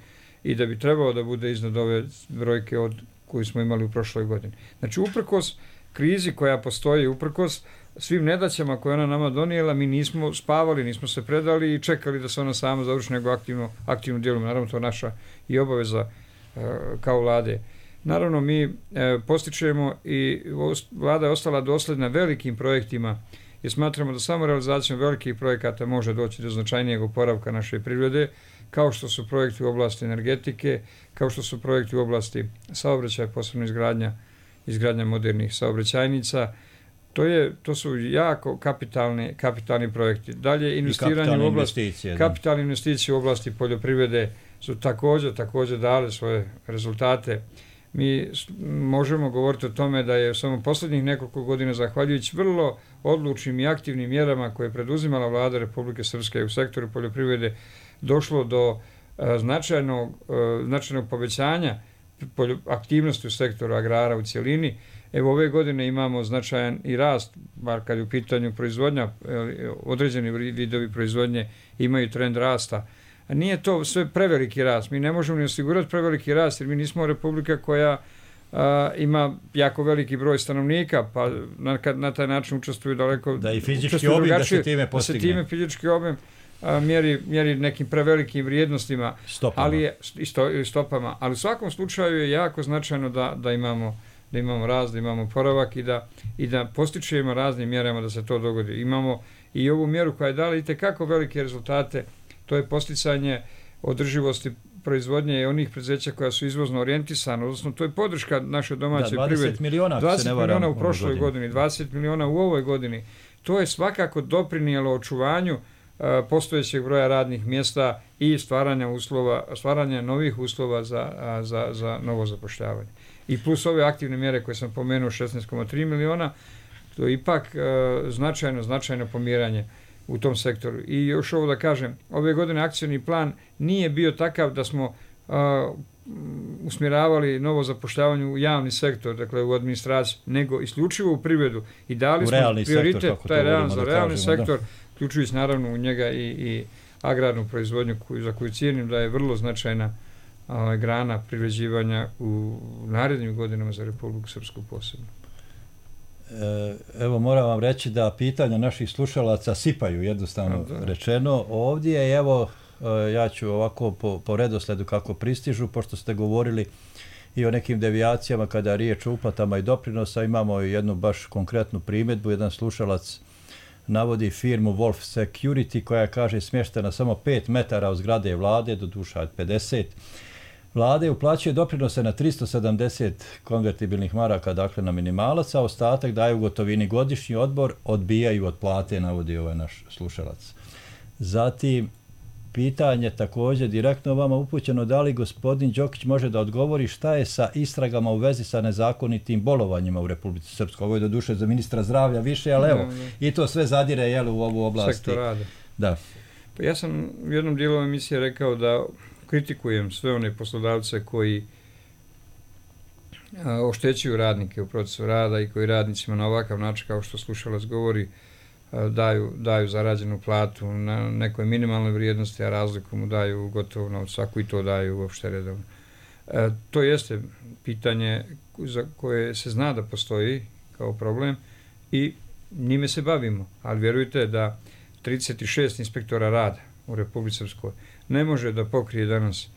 i da bi trebalo da bude iznad ove brojke od koju smo imali u prošloj godini. Znači, uprkos krizi koja postoji, uprkos svim nedaćama koje ona nama donijela, mi nismo spavali, nismo se predali i čekali da se ona sama završi, nego aktivno, aktivno djelujemo. Naravno, to je naša i obaveza e, kao vlade. Naravno, mi e, postičemo i vlada je ostala dosljedna velikim projektima i smatramo da samo realizacijom velikih projekata može doći do značajnijeg oporavka naše privrede, kao što su projekti u oblasti energetike, kao što su projekti u oblasti saobraćaja, posebno izgradnja, izgradnja modernih saobraćajnica. To, je, to su jako kapitalni, kapitalni projekti. Dalje, investiranje u oblasti, kapitalne investicije u oblasti poljoprivrede su također, također dale svoje rezultate. Mi možemo govoriti o tome da je samo posljednjih nekoliko godina, zahvaljujući vrlo odlučnim i aktivnim mjerama koje je preduzimala vlada Republike Srpske u sektoru poljoprivrede, došlo do uh, značajnog, uh, značajnog povećanja aktivnosti u sektoru agrara u cjelini. Evo, ove godine imamo značajan i rast, bar kad je u pitanju proizvodnja, određeni vidovi proizvodnje imaju trend rasta. A nije to sve preveliki rast. Mi ne možemo ni osigurati preveliki rast, jer mi nismo republika koja a, ima jako veliki broj stanovnika, pa na, na taj način učestvuju daleko... Da i fizički obim da se time postigne. Da se time fizički obim a, mjeri, mjeri nekim prevelikim vrijednostima. Stopama. Ali je, i sto, stopama. Ali u svakom slučaju je jako značajno da, da imamo da imamo rast, da imamo poravak i da, i da postičemo raznim mjerama da se to dogodi. Imamo i ovu mjeru koja je dala itekako velike rezultate, to je posticanje održivosti proizvodnje i onih preduzeća koja su izvozno orijentisana, odnosno to je podrška naše domaće privrede. dvadeset miliona, dvadeset miliona u prošloj godini. godini, dvadeset miliona u ovoj godini. To je svakako doprinijelo očuvanju uh, postojećeg broja radnih mjesta i stvaranja uslova, stvaranja novih uslova za, uh, za, za novo zapošljavanje. I plus ove aktivne mjere koje sam pomenuo, šesnaest zarez tri miliona, to je ipak uh, značajno, značajno pomjeranje u tom sektoru. I još ovo da kažem, ove godine akcioni plan nije bio takav da smo uh, usmjeravali novo zapošljavanje u javni sektor, dakle u administraciju, nego isključivo u privredu i dali smo prioritet, sektor, taj realan, za realni kažemo, sektor, uključujući naravno u njega i, i agrarnu proizvodnju koju, za koju cijenim da je vrlo značajna uh, grana privređivanja u narednim godinama za Republiku Srpsku posebno. Evo, moram vam reći da pitanja naših slušalaca sipaju, jednostavno rečeno. Ovdje je, evo, ja ću ovako po, po redosledu kako pristižu, pošto ste govorili i o nekim devijacijama kada je riječ o uplatama i doprinosa, imamo jednu baš konkretnu primjedbu. Jedan slušalac navodi firmu Wolf Security koja kaže smještena samo pet metara od zgrade vlade, do duša od pedeset. Vlade uplaćuje doprinose na tristo sedamdeset konvertibilnih maraka, dakle na minimalac, a ostatak daju u gotovini. Godišnji odbor odbijaju od plate, navodi ovaj naš slušalac. Zatim, pitanje također direktno vama upućeno, da li gospodin Đokić može da odgovori šta je sa istragama u vezi sa nezakonitim bolovanjima u Republici Srpskoj. Ovo je do duše za ministra zdravlja više, ali evo, i to sve zadire jel, u ovu oblast. Sektor rada. Da. Pa ja sam u jednom dijelu emisije rekao da kritikujem sve one poslodavce koji a, oštećuju radnike u procesu rada i koji radnicima na ovakav način, kao što slušalac govori, a, daju, daju zarađenu platu na nekoj minimalnoj vrijednosti, a razliku mu daju gotovo na svaku i to daju uopšte redovno. A, to jeste pitanje za koje se zna da postoji kao problem i njime se bavimo, ali vjerujte da trideset šest inspektora rada u Republici Srpskoj ne može da pokrije danas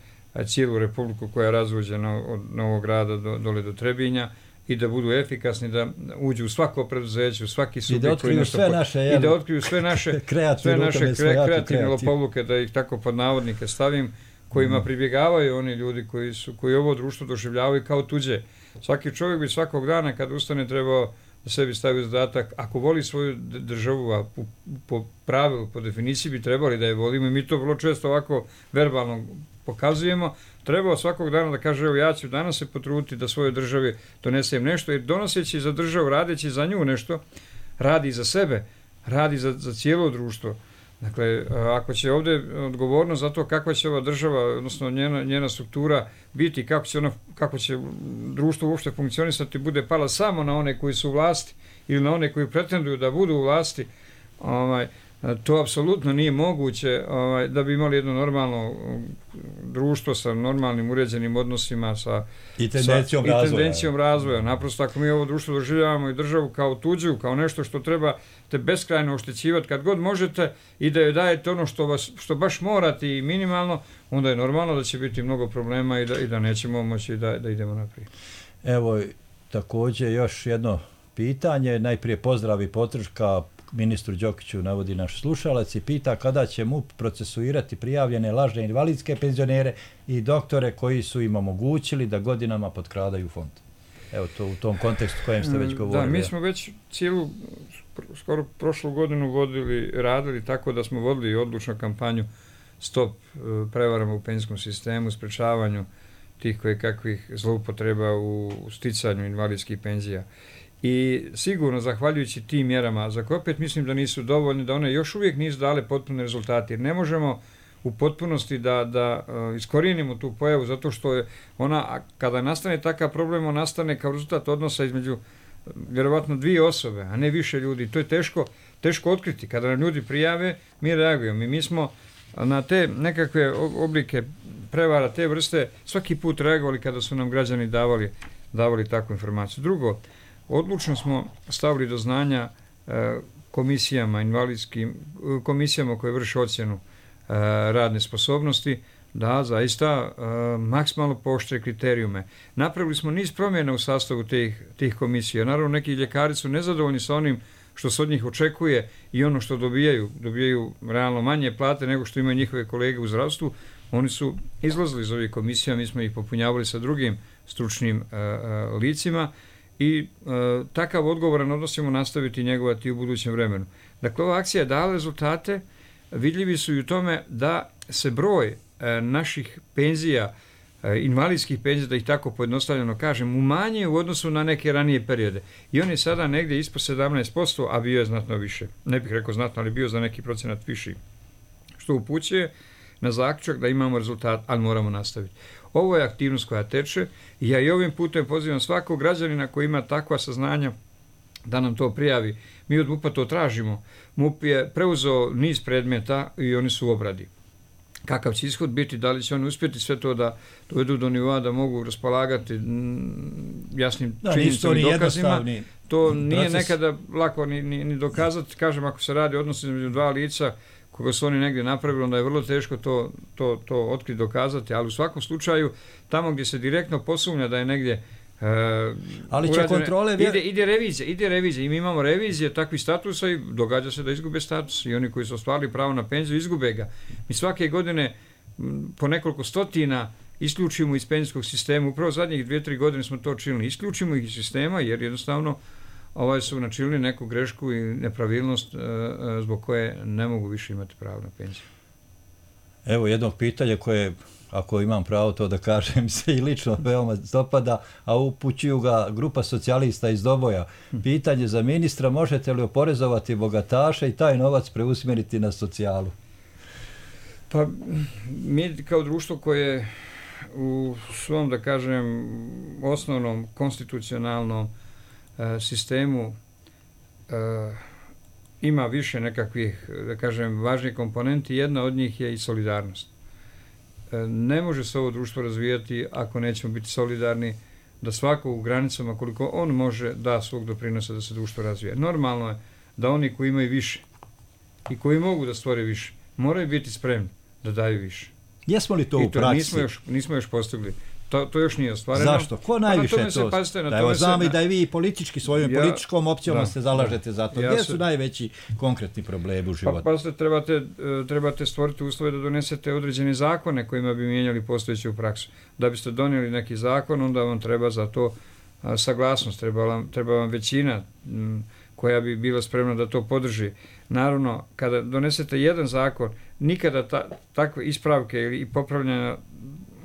cijelu Republiku koja je razvođena od Novog Grada do, dole do Trebinja i da budu efikasni, da uđu u svako preduzeće, u svaki subjekt. I da otkriju sve naše, I da otkriju sve naše, sve naše kre, kreativne lopovluke, da ih tako pod navodnike stavim, kojima pribjegavaju oni ljudi koji su koji ovo društvo doživljavaju kao tuđe. Svaki čovjek bi svakog dana kad ustane trebao da sebi stavi zadatak, ako voli svoju državu, a po, po pravilu, po definiciji bi trebali da je volimo i mi to vrlo često ovako verbalno pokazujemo, trebao svakog dana da kaže, evo ja ću danas se potruditi da svojoj državi donesem nešto, jer donoseći za državu, radeći za nju nešto, radi za sebe, radi za, za cijelo društvo. Dakle, ako će ovdje odgovornost za to kakva će ova država, odnosno njena, njena struktura biti, kako će, ona, kako će društvo uopšte funkcionisati, bude pala samo na one koji su u vlasti ili na one koji pretenduju da budu u vlasti, ovaj, to apsolutno nije moguće ovaj, da bi imali jedno normalno društvo sa normalnim uređenim odnosima sa, i tendencijom, sa, razvoja. i tendencijom razvoja. Naprosto ako mi ovo društvo doživljavamo i državu kao tuđu, kao nešto što treba te beskrajno oštećivati kad god možete i da joj dajete ono što, vas, što baš morate i minimalno, onda je normalno da će biti mnogo problema i da, i da nećemo moći da, da idemo naprijed. Evo, također još jedno pitanje, najprije pozdrav i podrška ministru Đokiću, navodi naš slušalac i pita kada će M U P procesuirati prijavljene lažne invalidske penzionere i doktore koji su im omogućili da godinama potkradaju fond. Evo to u tom kontekstu kojem ste već govorili. Da, mi smo već cijelu, skoro prošlu godinu vodili, radili tako da smo vodili odlučnu kampanju Stop prevarama u penzijskom sistemu, sprečavanju tih koje kakvih zloupotreba u sticanju invalidskih penzija. I sigurno, zahvaljujući tim mjerama, za koje opet mislim da nisu dovoljne, da one još uvijek nisu dale potpune rezultate, jer ne možemo u potpunosti da, da uh, iskorijenimo tu pojavu, zato što je ona, kada nastane takav problem, on nastane kao rezultat odnosa između vjerovatno dvije osobe, a ne više ljudi. To je teško, teško otkriti. Kada nam ljudi prijave, mi reagujemo. I mi smo na te nekakve oblike prevara, te vrste, svaki put reagovali kada su nam građani davali, davali takvu informaciju. Drugo, odlučno smo stavili do znanja e, komisijama, invalidskim, komisijama koje vrše ocjenu e, radne sposobnosti, da zaista e, maksimalno pooštre kriterijume. Napravili smo niz promjena u sastavu tih, tih komisija. Naravno, neki ljekari su nezadovoljni sa onim što se od njih očekuje i ono što dobijaju. Dobijaju realno manje plate nego što imaju njihove kolege u zdravstvu. Oni su izlazili iz ovih komisija, mi smo ih popunjavali sa drugim stručnim e, e, licima. I e, takav odgovoran odnos ćemo nastaviti i njegovati u budućem vremenu. Dakle, ova akcija je dala rezultate, vidljivi su i u tome da se broj e, naših penzija, e, invalidskih penzija, da ih tako pojednostavljeno kažem, umanjuje u odnosu na neke ranije periode. I on je sada negdje ispod sedamnaest posto, a bio je znatno više. Ne bih rekao znatno, ali bio za neki procenat viši. Što upućuje na zaključak da imamo rezultat, ali moramo nastaviti. Ovo je aktivnost koja teče i ja i ovim putem pozivam svakog građanina koji ima takva saznanja da nam to prijavi. Mi od M U P-a to tražimo. M U P je preuzeo niz predmeta i oni su u obradi. Kakav će ishod biti, da li će oni uspjeti sve to da dovedu do nivoa da mogu raspolagati jasnim da, činjenicama i dokazima. To nije proces. Nekada lako ni, ni, ni dokazati. Kažem, ako se radi odnos između dva lica koga su oni negdje napravili, onda je vrlo teško to, to, to otkriti, dokazati, ali u svakom slučaju, tamo gdje se direktno posumnja da je negdje e, ali će urađene, kontrole vjer... ide, ide revizija, ide revizija i mi imamo revizije takvih statusa i događa se da izgube status i oni koji su ostvarili pravo na penziju izgube ga. Mi svake godine m, po nekoliko stotina isključimo iz penzijskog sistema, upravo zadnjih dvije, tri godine smo to činili, isključimo ih iz sistema jer jednostavno ovaj su načinili neku grešku i nepravilnost e, zbog koje ne mogu više imati pravo na penziju. Evo jednog pitanja koje, ako imam pravo to da kažem, se i lično veoma dopada, a upućuju ga grupa socijalista iz Doboja. Pitanje za ministra, možete li oporezovati bogataše i taj novac preusmjeriti na socijalu? Pa mi kao društvo koje u svom, da kažem, osnovnom konstitucionalnom sistemu e, ima više nekakvih, da kažem, važnih komponenti. Jedna od njih je i solidarnost. E, ne može se ovo društvo razvijati ako nećemo biti solidarni, da svako u granicama koliko on može da svog doprinosa da se društvo razvije. Normalno je da oni koji imaju više i koji mogu da stvore više, moraju biti spremni da daju više. Jesmo li to I u praksi? Nismo još, nismo još postigli To, to još nije ostvareno. Zašto? Ko najviše pa to? Pazite, da evo znam i da i vi politički svojom ja, političkom opcijom da, se zalažete za to. Ja Gdje se, su najveći konkretni problemi u životu? Pa pazite, trebate, trebate stvoriti uslove da donesete određene zakone kojima bi mijenjali postojeću praksu. Da biste donijeli neki zakon, onda vam treba za to a, saglasnost, treba vam, treba vam većina m, koja bi bila spremna da to podrži. Naravno, kada donesete jedan zakon, nikada ta, takve ispravke ili popravljanja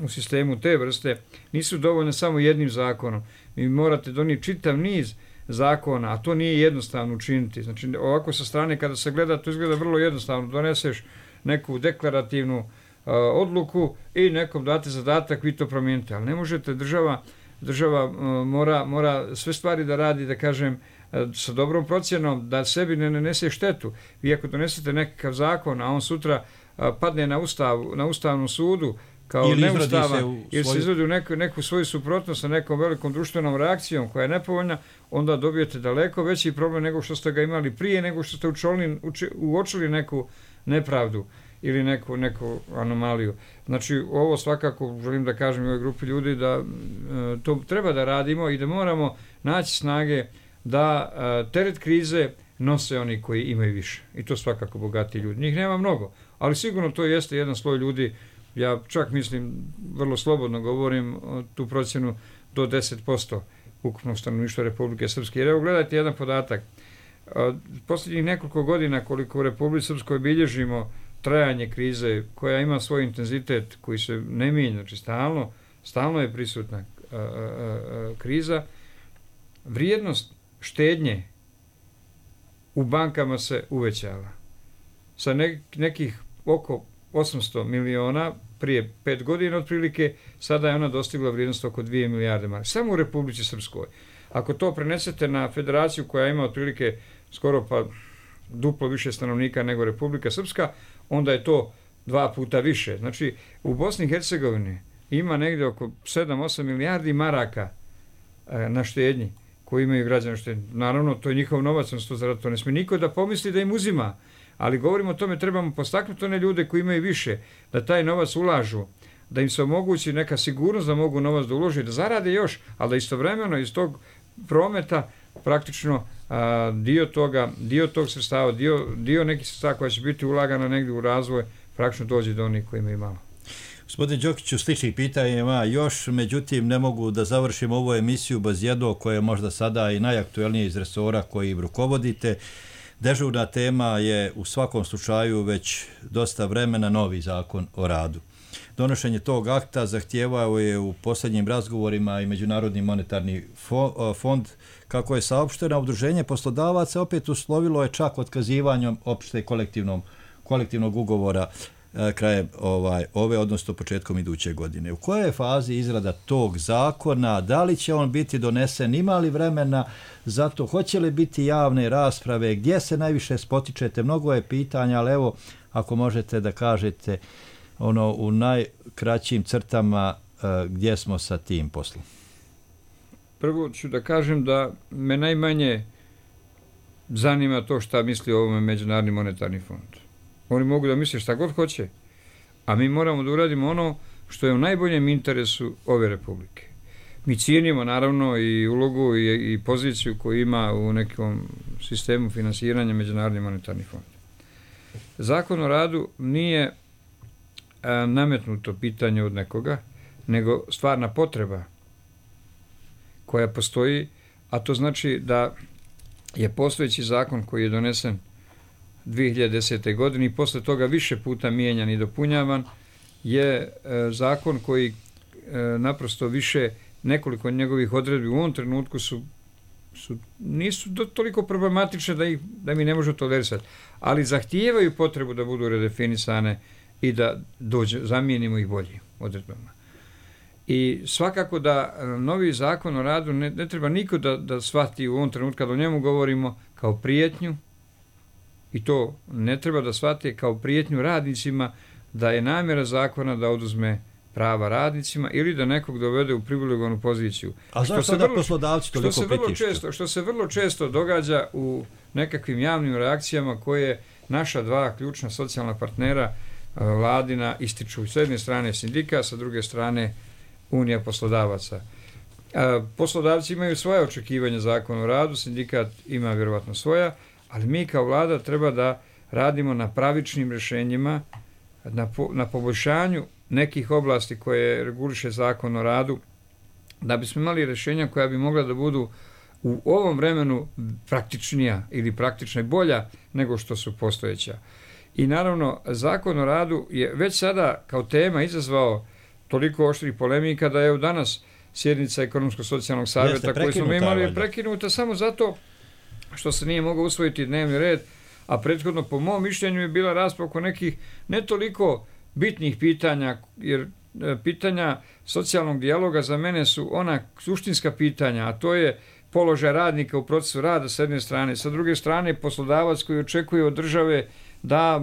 u sistemu te vrste nisu dovoljne samo jednim zakonom. Vi morate donijeti čitav niz zakona, a to nije jednostavno učiniti. Znači, ovako sa strane kada se gleda, to izgleda vrlo jednostavno. Doneseš neku deklarativnu uh, odluku i nekom date zadatak, vi to promijenite. Ali ne možete, država, država uh, mora, mora sve stvari da radi, da kažem, uh, sa dobrom procjenom, da sebi ne nanese štetu. Vi ako donesete nekakav zakon, a on sutra uh, padne na, ustav, na Ustavnom sudu, kao ili neustavan, ili se izradi u neku, neku svoju suprotnost sa nekom velikom društvenom reakcijom koja je nepovoljna, onda dobijete daleko veći problem nego što ste ga imali prije, nego što ste učolni, uči, uočili neku nepravdu ili neku, neku anomaliju. Znači, ovo svakako želim da kažem u ovoj grupi ljudi da e, to treba da radimo i da moramo naći snage da e, teret krize nose oni koji imaju više. I to svakako bogati ljudi. Njih nema mnogo, ali sigurno to jeste jedan sloj ljudi. Ja čak mislim, vrlo slobodno govorim tu procjenu do deset posto ukupnog stanovništva Republike Srpske. Jer evo gledajte jedan podatak. Posljednjih nekoliko godina koliko u Republici Srpskoj bilježimo trajanje krize koja ima svoj intenzitet koji se ne mijenja, znači stalno, stalno je prisutna a, a, a, kriza, vrijednost štednje u bankama se uvećala. Sa ne, nekih oko osamsto miliona prije pet godina otprilike, sada je ona dostigla vrijednost oko dvije milijarde maraka. Samo u Republici Srpskoj. Ako to prenesete na federaciju koja ima otprilike skoro pa duplo više stanovnika nego Republika Srpska, onda je to dva puta više. Znači, u Bosni i Hercegovini ima negdje oko sedam do osam milijardi maraka e, na štednji koji imaju građani štednji. Naravno, to je njihov novac, on to, to ne smije niko da pomisli da im uzima. Ali govorimo o tome, trebamo postaknuti one ljude koji imaju više, da taj novac ulažu, da im se omogući neka sigurnost da mogu novac da uloži, da zarade još, ali da istovremeno iz tog prometa praktično a, dio toga, dio tog sredstava, dio, dio nekih sredstava koja će biti ulagana negdje u razvoj, praktično dođe do onih koji imaju malo. Gospodin Đokiću, sličnih pitanja ima još, međutim ne mogu da završim ovu emisiju bez jednog koje je možda sada i najaktuelnije iz resora koji rukovodite. Dežurna tema je u svakom slučaju već dosta vremena novi zakon o radu. Donošenje tog akta zahtijevao je u posljednjim razgovorima i Međunarodni monetarni fond. Kako je saopšteno, udruženje poslodavaca opet uslovilo je čak otkazivanjem opšte kolektivnom, kolektivnog ugovora krajem ovaj, ove, odnosno početkom iduće godine. U kojoj je fazi izrada tog zakona? Da li će on biti donesen? Ima li vremena za to? Hoće li biti javne rasprave? Gdje se najviše spotičete? Mnogo je pitanja, ali evo, ako možete da kažete ono u najkraćim crtama uh, gdje smo sa tim poslom. Prvo ću da kažem da me najmanje zanima to šta misli o ovome Međunarodni monetarni fond. Oni mogu da misle šta god hoće, a mi moramo da uradimo ono što je u najboljem interesu ove republike. Mi cijenimo naravno i ulogu i, i poziciju koju ima u nekom sistemu finansiranja Međunarodni monetarni fond. Zakon o radu nije a, nametnuto pitanje od nekoga, nego stvarna potreba koja postoji, a to znači da je postojeći zakon koji je donesen dvije hiljade desete. godine i posle toga više puta mijenjan i dopunjavan, je e, zakon koji e, naprosto više nekoliko njegovih odredbi u ovom trenutku su, su nisu do, toliko problematične da, ih, da mi ne možemo tolerisati, ali zahtijevaju potrebu da budu redefinisane i da dođe, zamijenimo ih boljim odredbama. I svakako da novi zakon o radu ne, ne treba niko da, da shvati u ovom trenutku kada o njemu govorimo kao prijetnju, i to ne treba da shvati kao prijetnju radnicima da je namjera zakona da oduzme prava radnicima ili da nekog dovede u privilegovanu poziciju. A zašto da poslodavci toliko što se vrlo često, što se vrlo često događa u nekakvim javnim reakcijama koje naša dva ključna socijalna partnera vladina ističu. S jedne strane sindika, sa druge strane unija poslodavaca. Poslodavci imaju svoje očekivanja zakona o radu, sindikat ima vjerovatno svoja, ali mi kao vlada treba da radimo na pravičnim rješenjima, na, po, na poboljšanju nekih oblasti koje reguliše zakon o radu, da bismo imali rješenja koja bi mogla da budu u ovom vremenu praktičnija ili praktična i bolja nego što su postojeća. I naravno, zakon o radu je već sada kao tema izazvao toliko oštrih polemika da je u danas sjednica Ekonomsko-socijalnog savjeta koju smo imali je prekinuta samo zato što se nije mogao usvojiti dnevni red, a prethodno po mom mišljenju je bila rasprava oko nekih ne toliko bitnih pitanja, jer pitanja socijalnog dijaloga za mene su ona suštinska pitanja, a to je položaj radnika u procesu rada s jedne strane, sa druge strane poslodavac koji očekuje od države da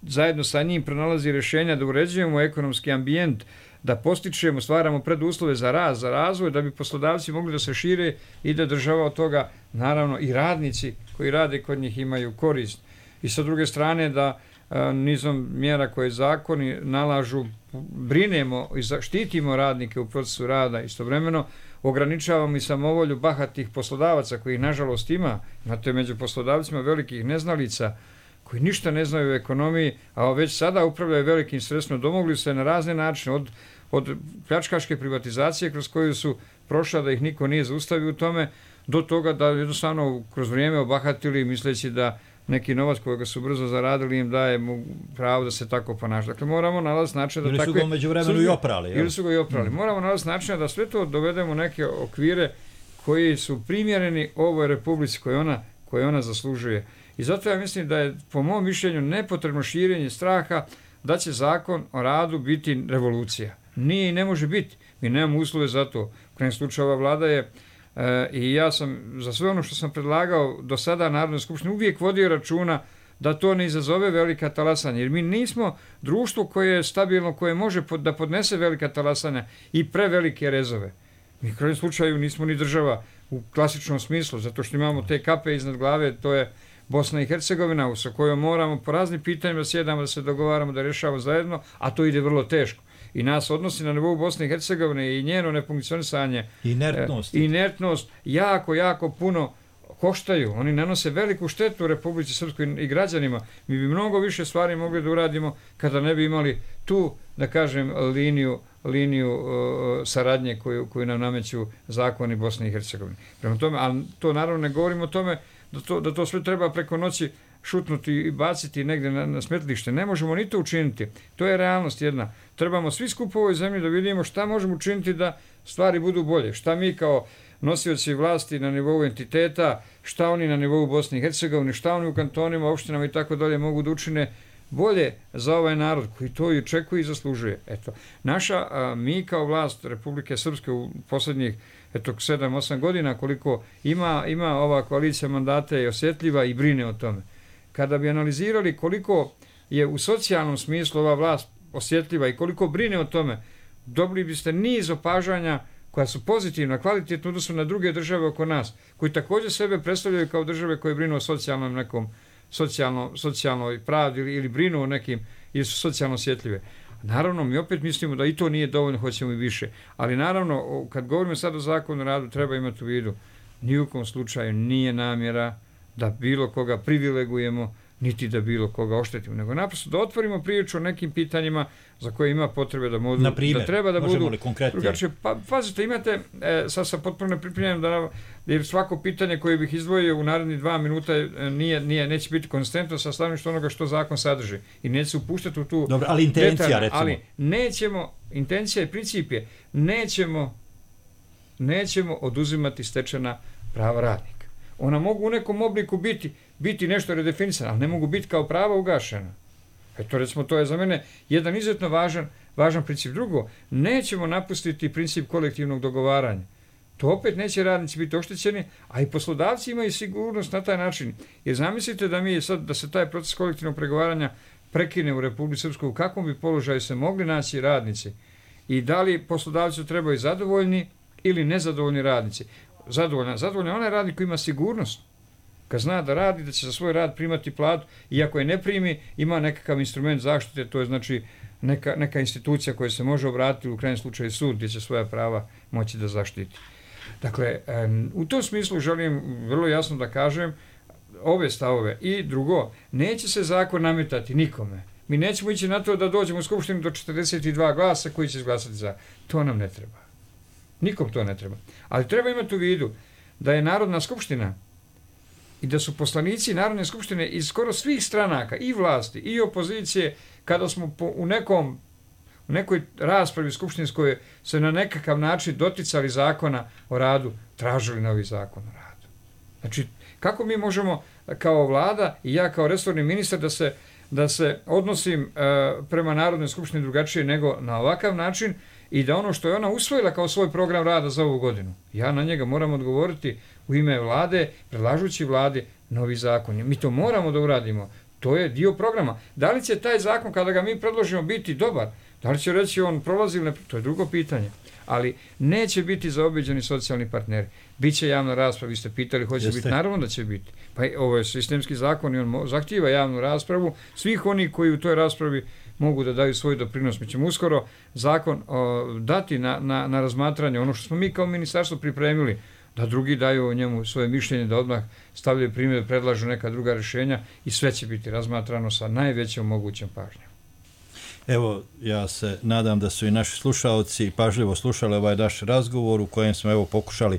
zajedno sa njim pronalazi rješenja, da uređujemo ekonomski ambijent, da postičemo, stvaramo preduslove za rast, za razvoj, da bi poslodavci mogli da se šire i da država od toga, naravno i radnici koji rade kod njih imaju korist. I sa druge strane da a, nizom mjera koje zakoni nalažu, brinemo i štitimo radnike u procesu rada, istovremeno ograničavamo i samovolju bahatih poslodavaca kojih nažalost ima, znate među poslodavcima velikih neznalica koji ništa ne znaju o ekonomiji, a već sada upravljaju velikim sredstvima, domogli se na razne načine, od, od pljačkaške privatizacije kroz koju su prošla da ih niko nije zaustavio u tome, do toga da jednostavno kroz vrijeme obahatili misleći da neki novac kojega su brzo zaradili im daje mu pravo da se tako ponaša. Dakle, moramo nalaziti način da ili takve... Ili su ga među vremenu i oprali. Ili su ga i oprali. Mm. Moramo nalaziti način da sve to dovedemo u neke okvire koji su primjereni ovoj republici koje ona, koje ona zaslužuje. I zato ja mislim da je, po mom mišljenju, nepotrebno širenje straha da će zakon o radu biti revolucija. Nije i ne može biti. Mi nemamo uslove za to. U krajem slučaju ova vlada je e, i ja sam za sve ono što sam predlagao do sada Narodnoj skupštini uvijek vodio računa da to ne izazove velika talasanja. Jer mi nismo društvo koje je stabilno, koje može pod, da podnese velika talasanja i prevelike rezove. Mi u krajem slučaju nismo ni država u klasičnom smislu, zato što imamo te kape iznad glave, to je Bosna i Hercegovina, sa kojom moramo po raznim pitanjima sjedamo da se dogovaramo, da rješavamo zajedno, a to ide vrlo teško. I nas odnosi na nivou Bosne i Hercegovine i njeno nefunkcionisanje, inertnost, e, inertnost jako, jako puno koštaju. Oni nanose veliku štetu Republici Srpskoj i građanima. Mi bi mnogo više stvari mogli da uradimo kada ne bi imali tu, da kažem, liniju, liniju uh, saradnje koju, koju nam nameću zakoni Bosne i Hercegovine. Prema tome, ali to naravno ne govorimo o tome da to, da to sve treba preko noći šutnuti i baciti negdje na, na smetlište. Ne možemo ni to učiniti. To je realnost jedna. Trebamo svi skupo u ovoj zemlji da vidimo šta možemo učiniti da stvari budu bolje. Šta mi kao nosioci vlasti na nivou entiteta, šta oni na nivou Bosne i Hercegovine, šta oni u kantonima, opštinama i tako dalje mogu da učine bolje za ovaj narod koji to i očekuje i zaslužuje. Eto, naša, a, mi kao vlast Republike Srpske u posljednjih eto sedam osam godina koliko ima, ima ova koalicija mandata je osjetljiva i brine o tome. Kada bi analizirali koliko je u socijalnom smislu ova vlast osjetljiva i koliko brine o tome, dobili biste niz opažanja koja su pozitivna, kvalitetno odnosu na druge države oko nas, koji također sebe predstavljaju kao države koje brinu o socijalnom nekom socijalno, socijalnoj pravdi ili, ili brinu o nekim ili su socijalno osjetljive. Naravno, mi opet mislimo da i to nije dovoljno, hoćemo i više. Ali naravno, kad govorimo sad o zakonu o radu, treba imati u vidu, ni u kom slučaju nije namjera da bilo koga privilegujemo, niti da bilo koga oštetimo, nego naprosto da otvorimo priču o nekim pitanjima za koje ima potrebe da modu, Naprimjer, da treba da budu drugačije. Pa, pazite, imate, e, sad sam potpuno nepripremljen da jer svako pitanje koje bih izdvojio u narednih dva minuta nije, nije, neće biti konstantno sa stanovišta onoga što zakon sadrži i neće se upuštati u tu Dobro, ali intencija, detaljna, recimo. Ali nećemo, intencija i princip je, nećemo, nećemo oduzimati stečena prava radnika. Ona mogu u nekom obliku biti, biti nešto redefinisano, ali ne mogu biti kao prava ugašena. Eto, recimo, to je za mene jedan izuzetno važan, važan princip. Drugo, nećemo napustiti princip kolektivnog dogovaranja. To opet neće radnici biti oštećeni, a i poslodavci imaju sigurnost na taj način. Jer zamislite da mi sad, da se taj proces kolektivnog pregovaranja prekine u Republici Srpskoj, u kakvom bi položaju se mogli naći radnici i da li poslodavci trebaju zadovoljni ili nezadovoljni radnici. Zadovoljna, zadovoljna onaj radnik koji ima sigurnost. kad zna da radi, da će za svoj rad primati platu i ako je ne primi, ima nekakav instrument zaštite, to je znači neka, neka institucija koja se može obratiti, u krajnjem slučaju sud, gdje će svoja prava moći da zaštiti. Dakle, u tom smislu želim vrlo jasno da kažem ove stavove. I drugo, neće se zakon nametati nikome. Mi nećemo ići na to da dođemo u skupštinu do četrdeset dva glasa koji će izglasati za. To nam ne treba. Nikom to ne treba. Ali treba imati u vidu da je Narodna skupština i da su poslanici Narodne skupštine iz skoro svih stranaka, i vlasti, i opozicije, kada smo po, u nekom u nekoj raspravi skupštinskoj se na nekakav način doticali zakona o radu, tražili novi zakon o radu. Znači, kako mi možemo kao vlada i ja kao resorni ministar da se, da se odnosim e, prema Narodnoj skupštini drugačije nego na ovakav način i da ono što je ona usvojila kao svoj program rada za ovu godinu, ja na njega moram odgovoriti u ime vlade, predlažući vladi novi zakon. Mi to moramo da uradimo. To je dio programa. Da li će taj zakon, kada ga mi predložimo, biti dobar? Da li će reći on prolazi ili ne? To je drugo pitanje. Ali neće biti zaobiđeni socijalni partneri. Biće javna rasprava, vi ste pitali, hoće Jeste. biti, naravno da će biti. Pa ovo je sistemski zakon i on zahtijeva javnu raspravu. Svih oni koji u toj raspravi mogu da daju svoj doprinos. Mi ćemo uskoro zakon o, dati na, na, na razmatranje, ono što smo mi kao ministarstvo pripremili, da drugi daju o njemu svoje mišljenje, da odmah stavljaju primjer, predlažu neka druga rješenja i sve će biti razmatrano sa najvećom mogućom pažnjom. Evo, ja se nadam da su i naši slušalci pažljivo slušali ovaj naš razgovor u kojem smo evo pokušali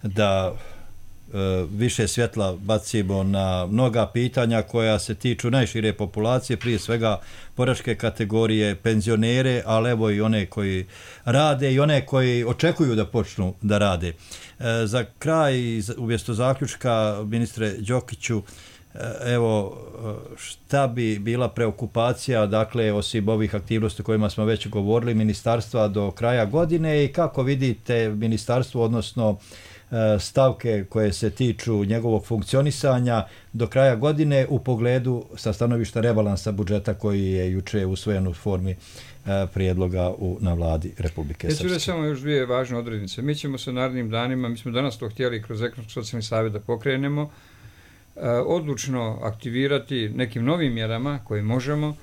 da e, više svjetla bacimo na mnoga pitanja koja se tiču najšire populacije, prije svega boračke kategorije, penzionere, ali evo i one koji rade i one koji očekuju da počnu da rade. E, za kraj, umjesto zaključka, ministre Đokiću, evo, šta bi bila preokupacija, dakle, osim ovih aktivnosti o kojima smo već govorili, ministarstva do kraja godine i kako vidite ministarstvo, odnosno stavke koje se tiču njegovog funkcionisanja do kraja godine u pogledu sa stanovišta rebalansa budžeta koji je juče usvojen u formi prijedloga u, na vladi Republike Srpske. Ja ću reći samo još dvije važne odrednice. Mi ćemo se narednim danima, mi smo danas to htjeli kroz ekonomsko-socijalni savjet da pokrenemo, odlučno aktivirati nekim novim mjerama koje možemo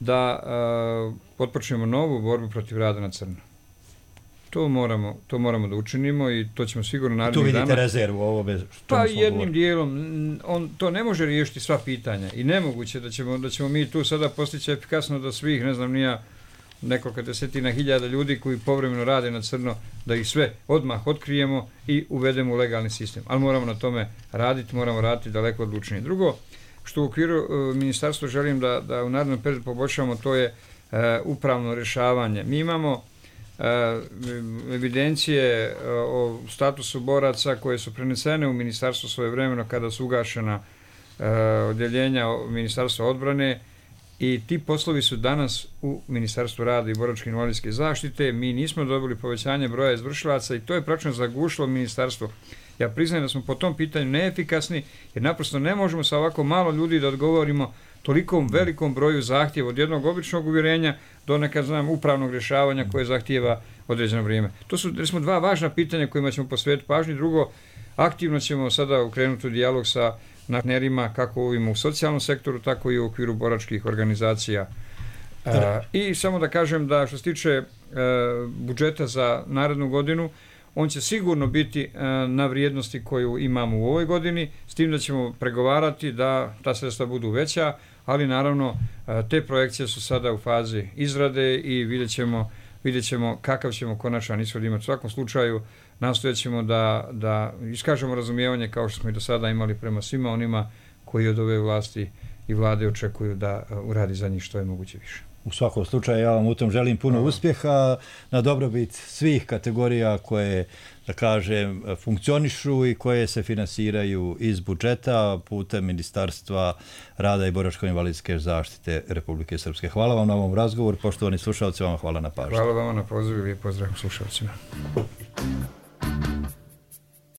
da uh, potpočnemo novu borbu protiv rada na crno. To moramo, to moramo da učinimo i to ćemo sigurno narednih dana. Tu vidite dana, rezervu ovome što pa jednim govorili. Dijelom, on to ne može riješiti sva pitanja i nemoguće da ćemo, da ćemo mi tu sada postići efikasno da svih, ne znam, nija nekoliko desetina hiljada ljudi koji povremeno rade na crno, da ih sve odmah otkrijemo i uvedemo u legalni sistem. Ali moramo na tome raditi, moramo raditi daleko odlučnije. Drugo, što u okviru uh, ministarstva želim da, da u narednom periodu poboljšamo, to je uh, upravno rješavanje. Mi imamo uh, evidencije uh, o statusu boraca koje su prenesene u ministarstvo svojevremeno kada su ugašena uh, odjeljenja Ministarstva odbrane. I ti poslovi su danas u Ministarstvu rada i boračke invalidske zaštite. Mi nismo dobili povećanje broja izvršilaca i to je praktično zagušilo ministarstvo. Ja priznajem da smo po tom pitanju neefikasni jer naprosto ne možemo sa ovako malo ljudi da odgovorimo tolikom velikom broju zahtjeva od jednog običnog uvjerenja do nekad znam upravnog rješavanja koje zahtijeva određeno vrijeme. To su recimo dva važna pitanja kojima ćemo posvetiti pažnju. Drugo, aktivno ćemo sada ukrenuti u dijalog sa partnerima kako ovim u socijalnom sektoru, tako i u okviru boračkih organizacija. E, I samo da kažem da što se tiče e, budžeta za narednu godinu, on će sigurno biti e, na vrijednosti koju imamo u ovoj godini, s tim da ćemo pregovarati da ta sredstva budu veća, ali naravno e, te projekcije su sada u fazi izrade i vidjet ćemo, vidjet ćemo kakav ćemo konačan ishod imati. U svakom slučaju nastojat ćemo da, da iskažemo razumijevanje kao što smo i do sada imali prema svima onima koji od ove vlasti i vlade očekuju da uradi za njih što je moguće više. U svakom slučaju ja vam u tom želim puno Hvala. uspjeha na dobrobit svih kategorija koje, da kažem, funkcionišu i koje se finansiraju iz budžeta putem Ministarstva rada i boračko-invalidske zaštite Republike Srpske. Hvala vam na ovom razgovoru, poštovani slušalci, vam hvala na pažnju. Hvala vam na pozivu i lijep pozdrav slušalcima.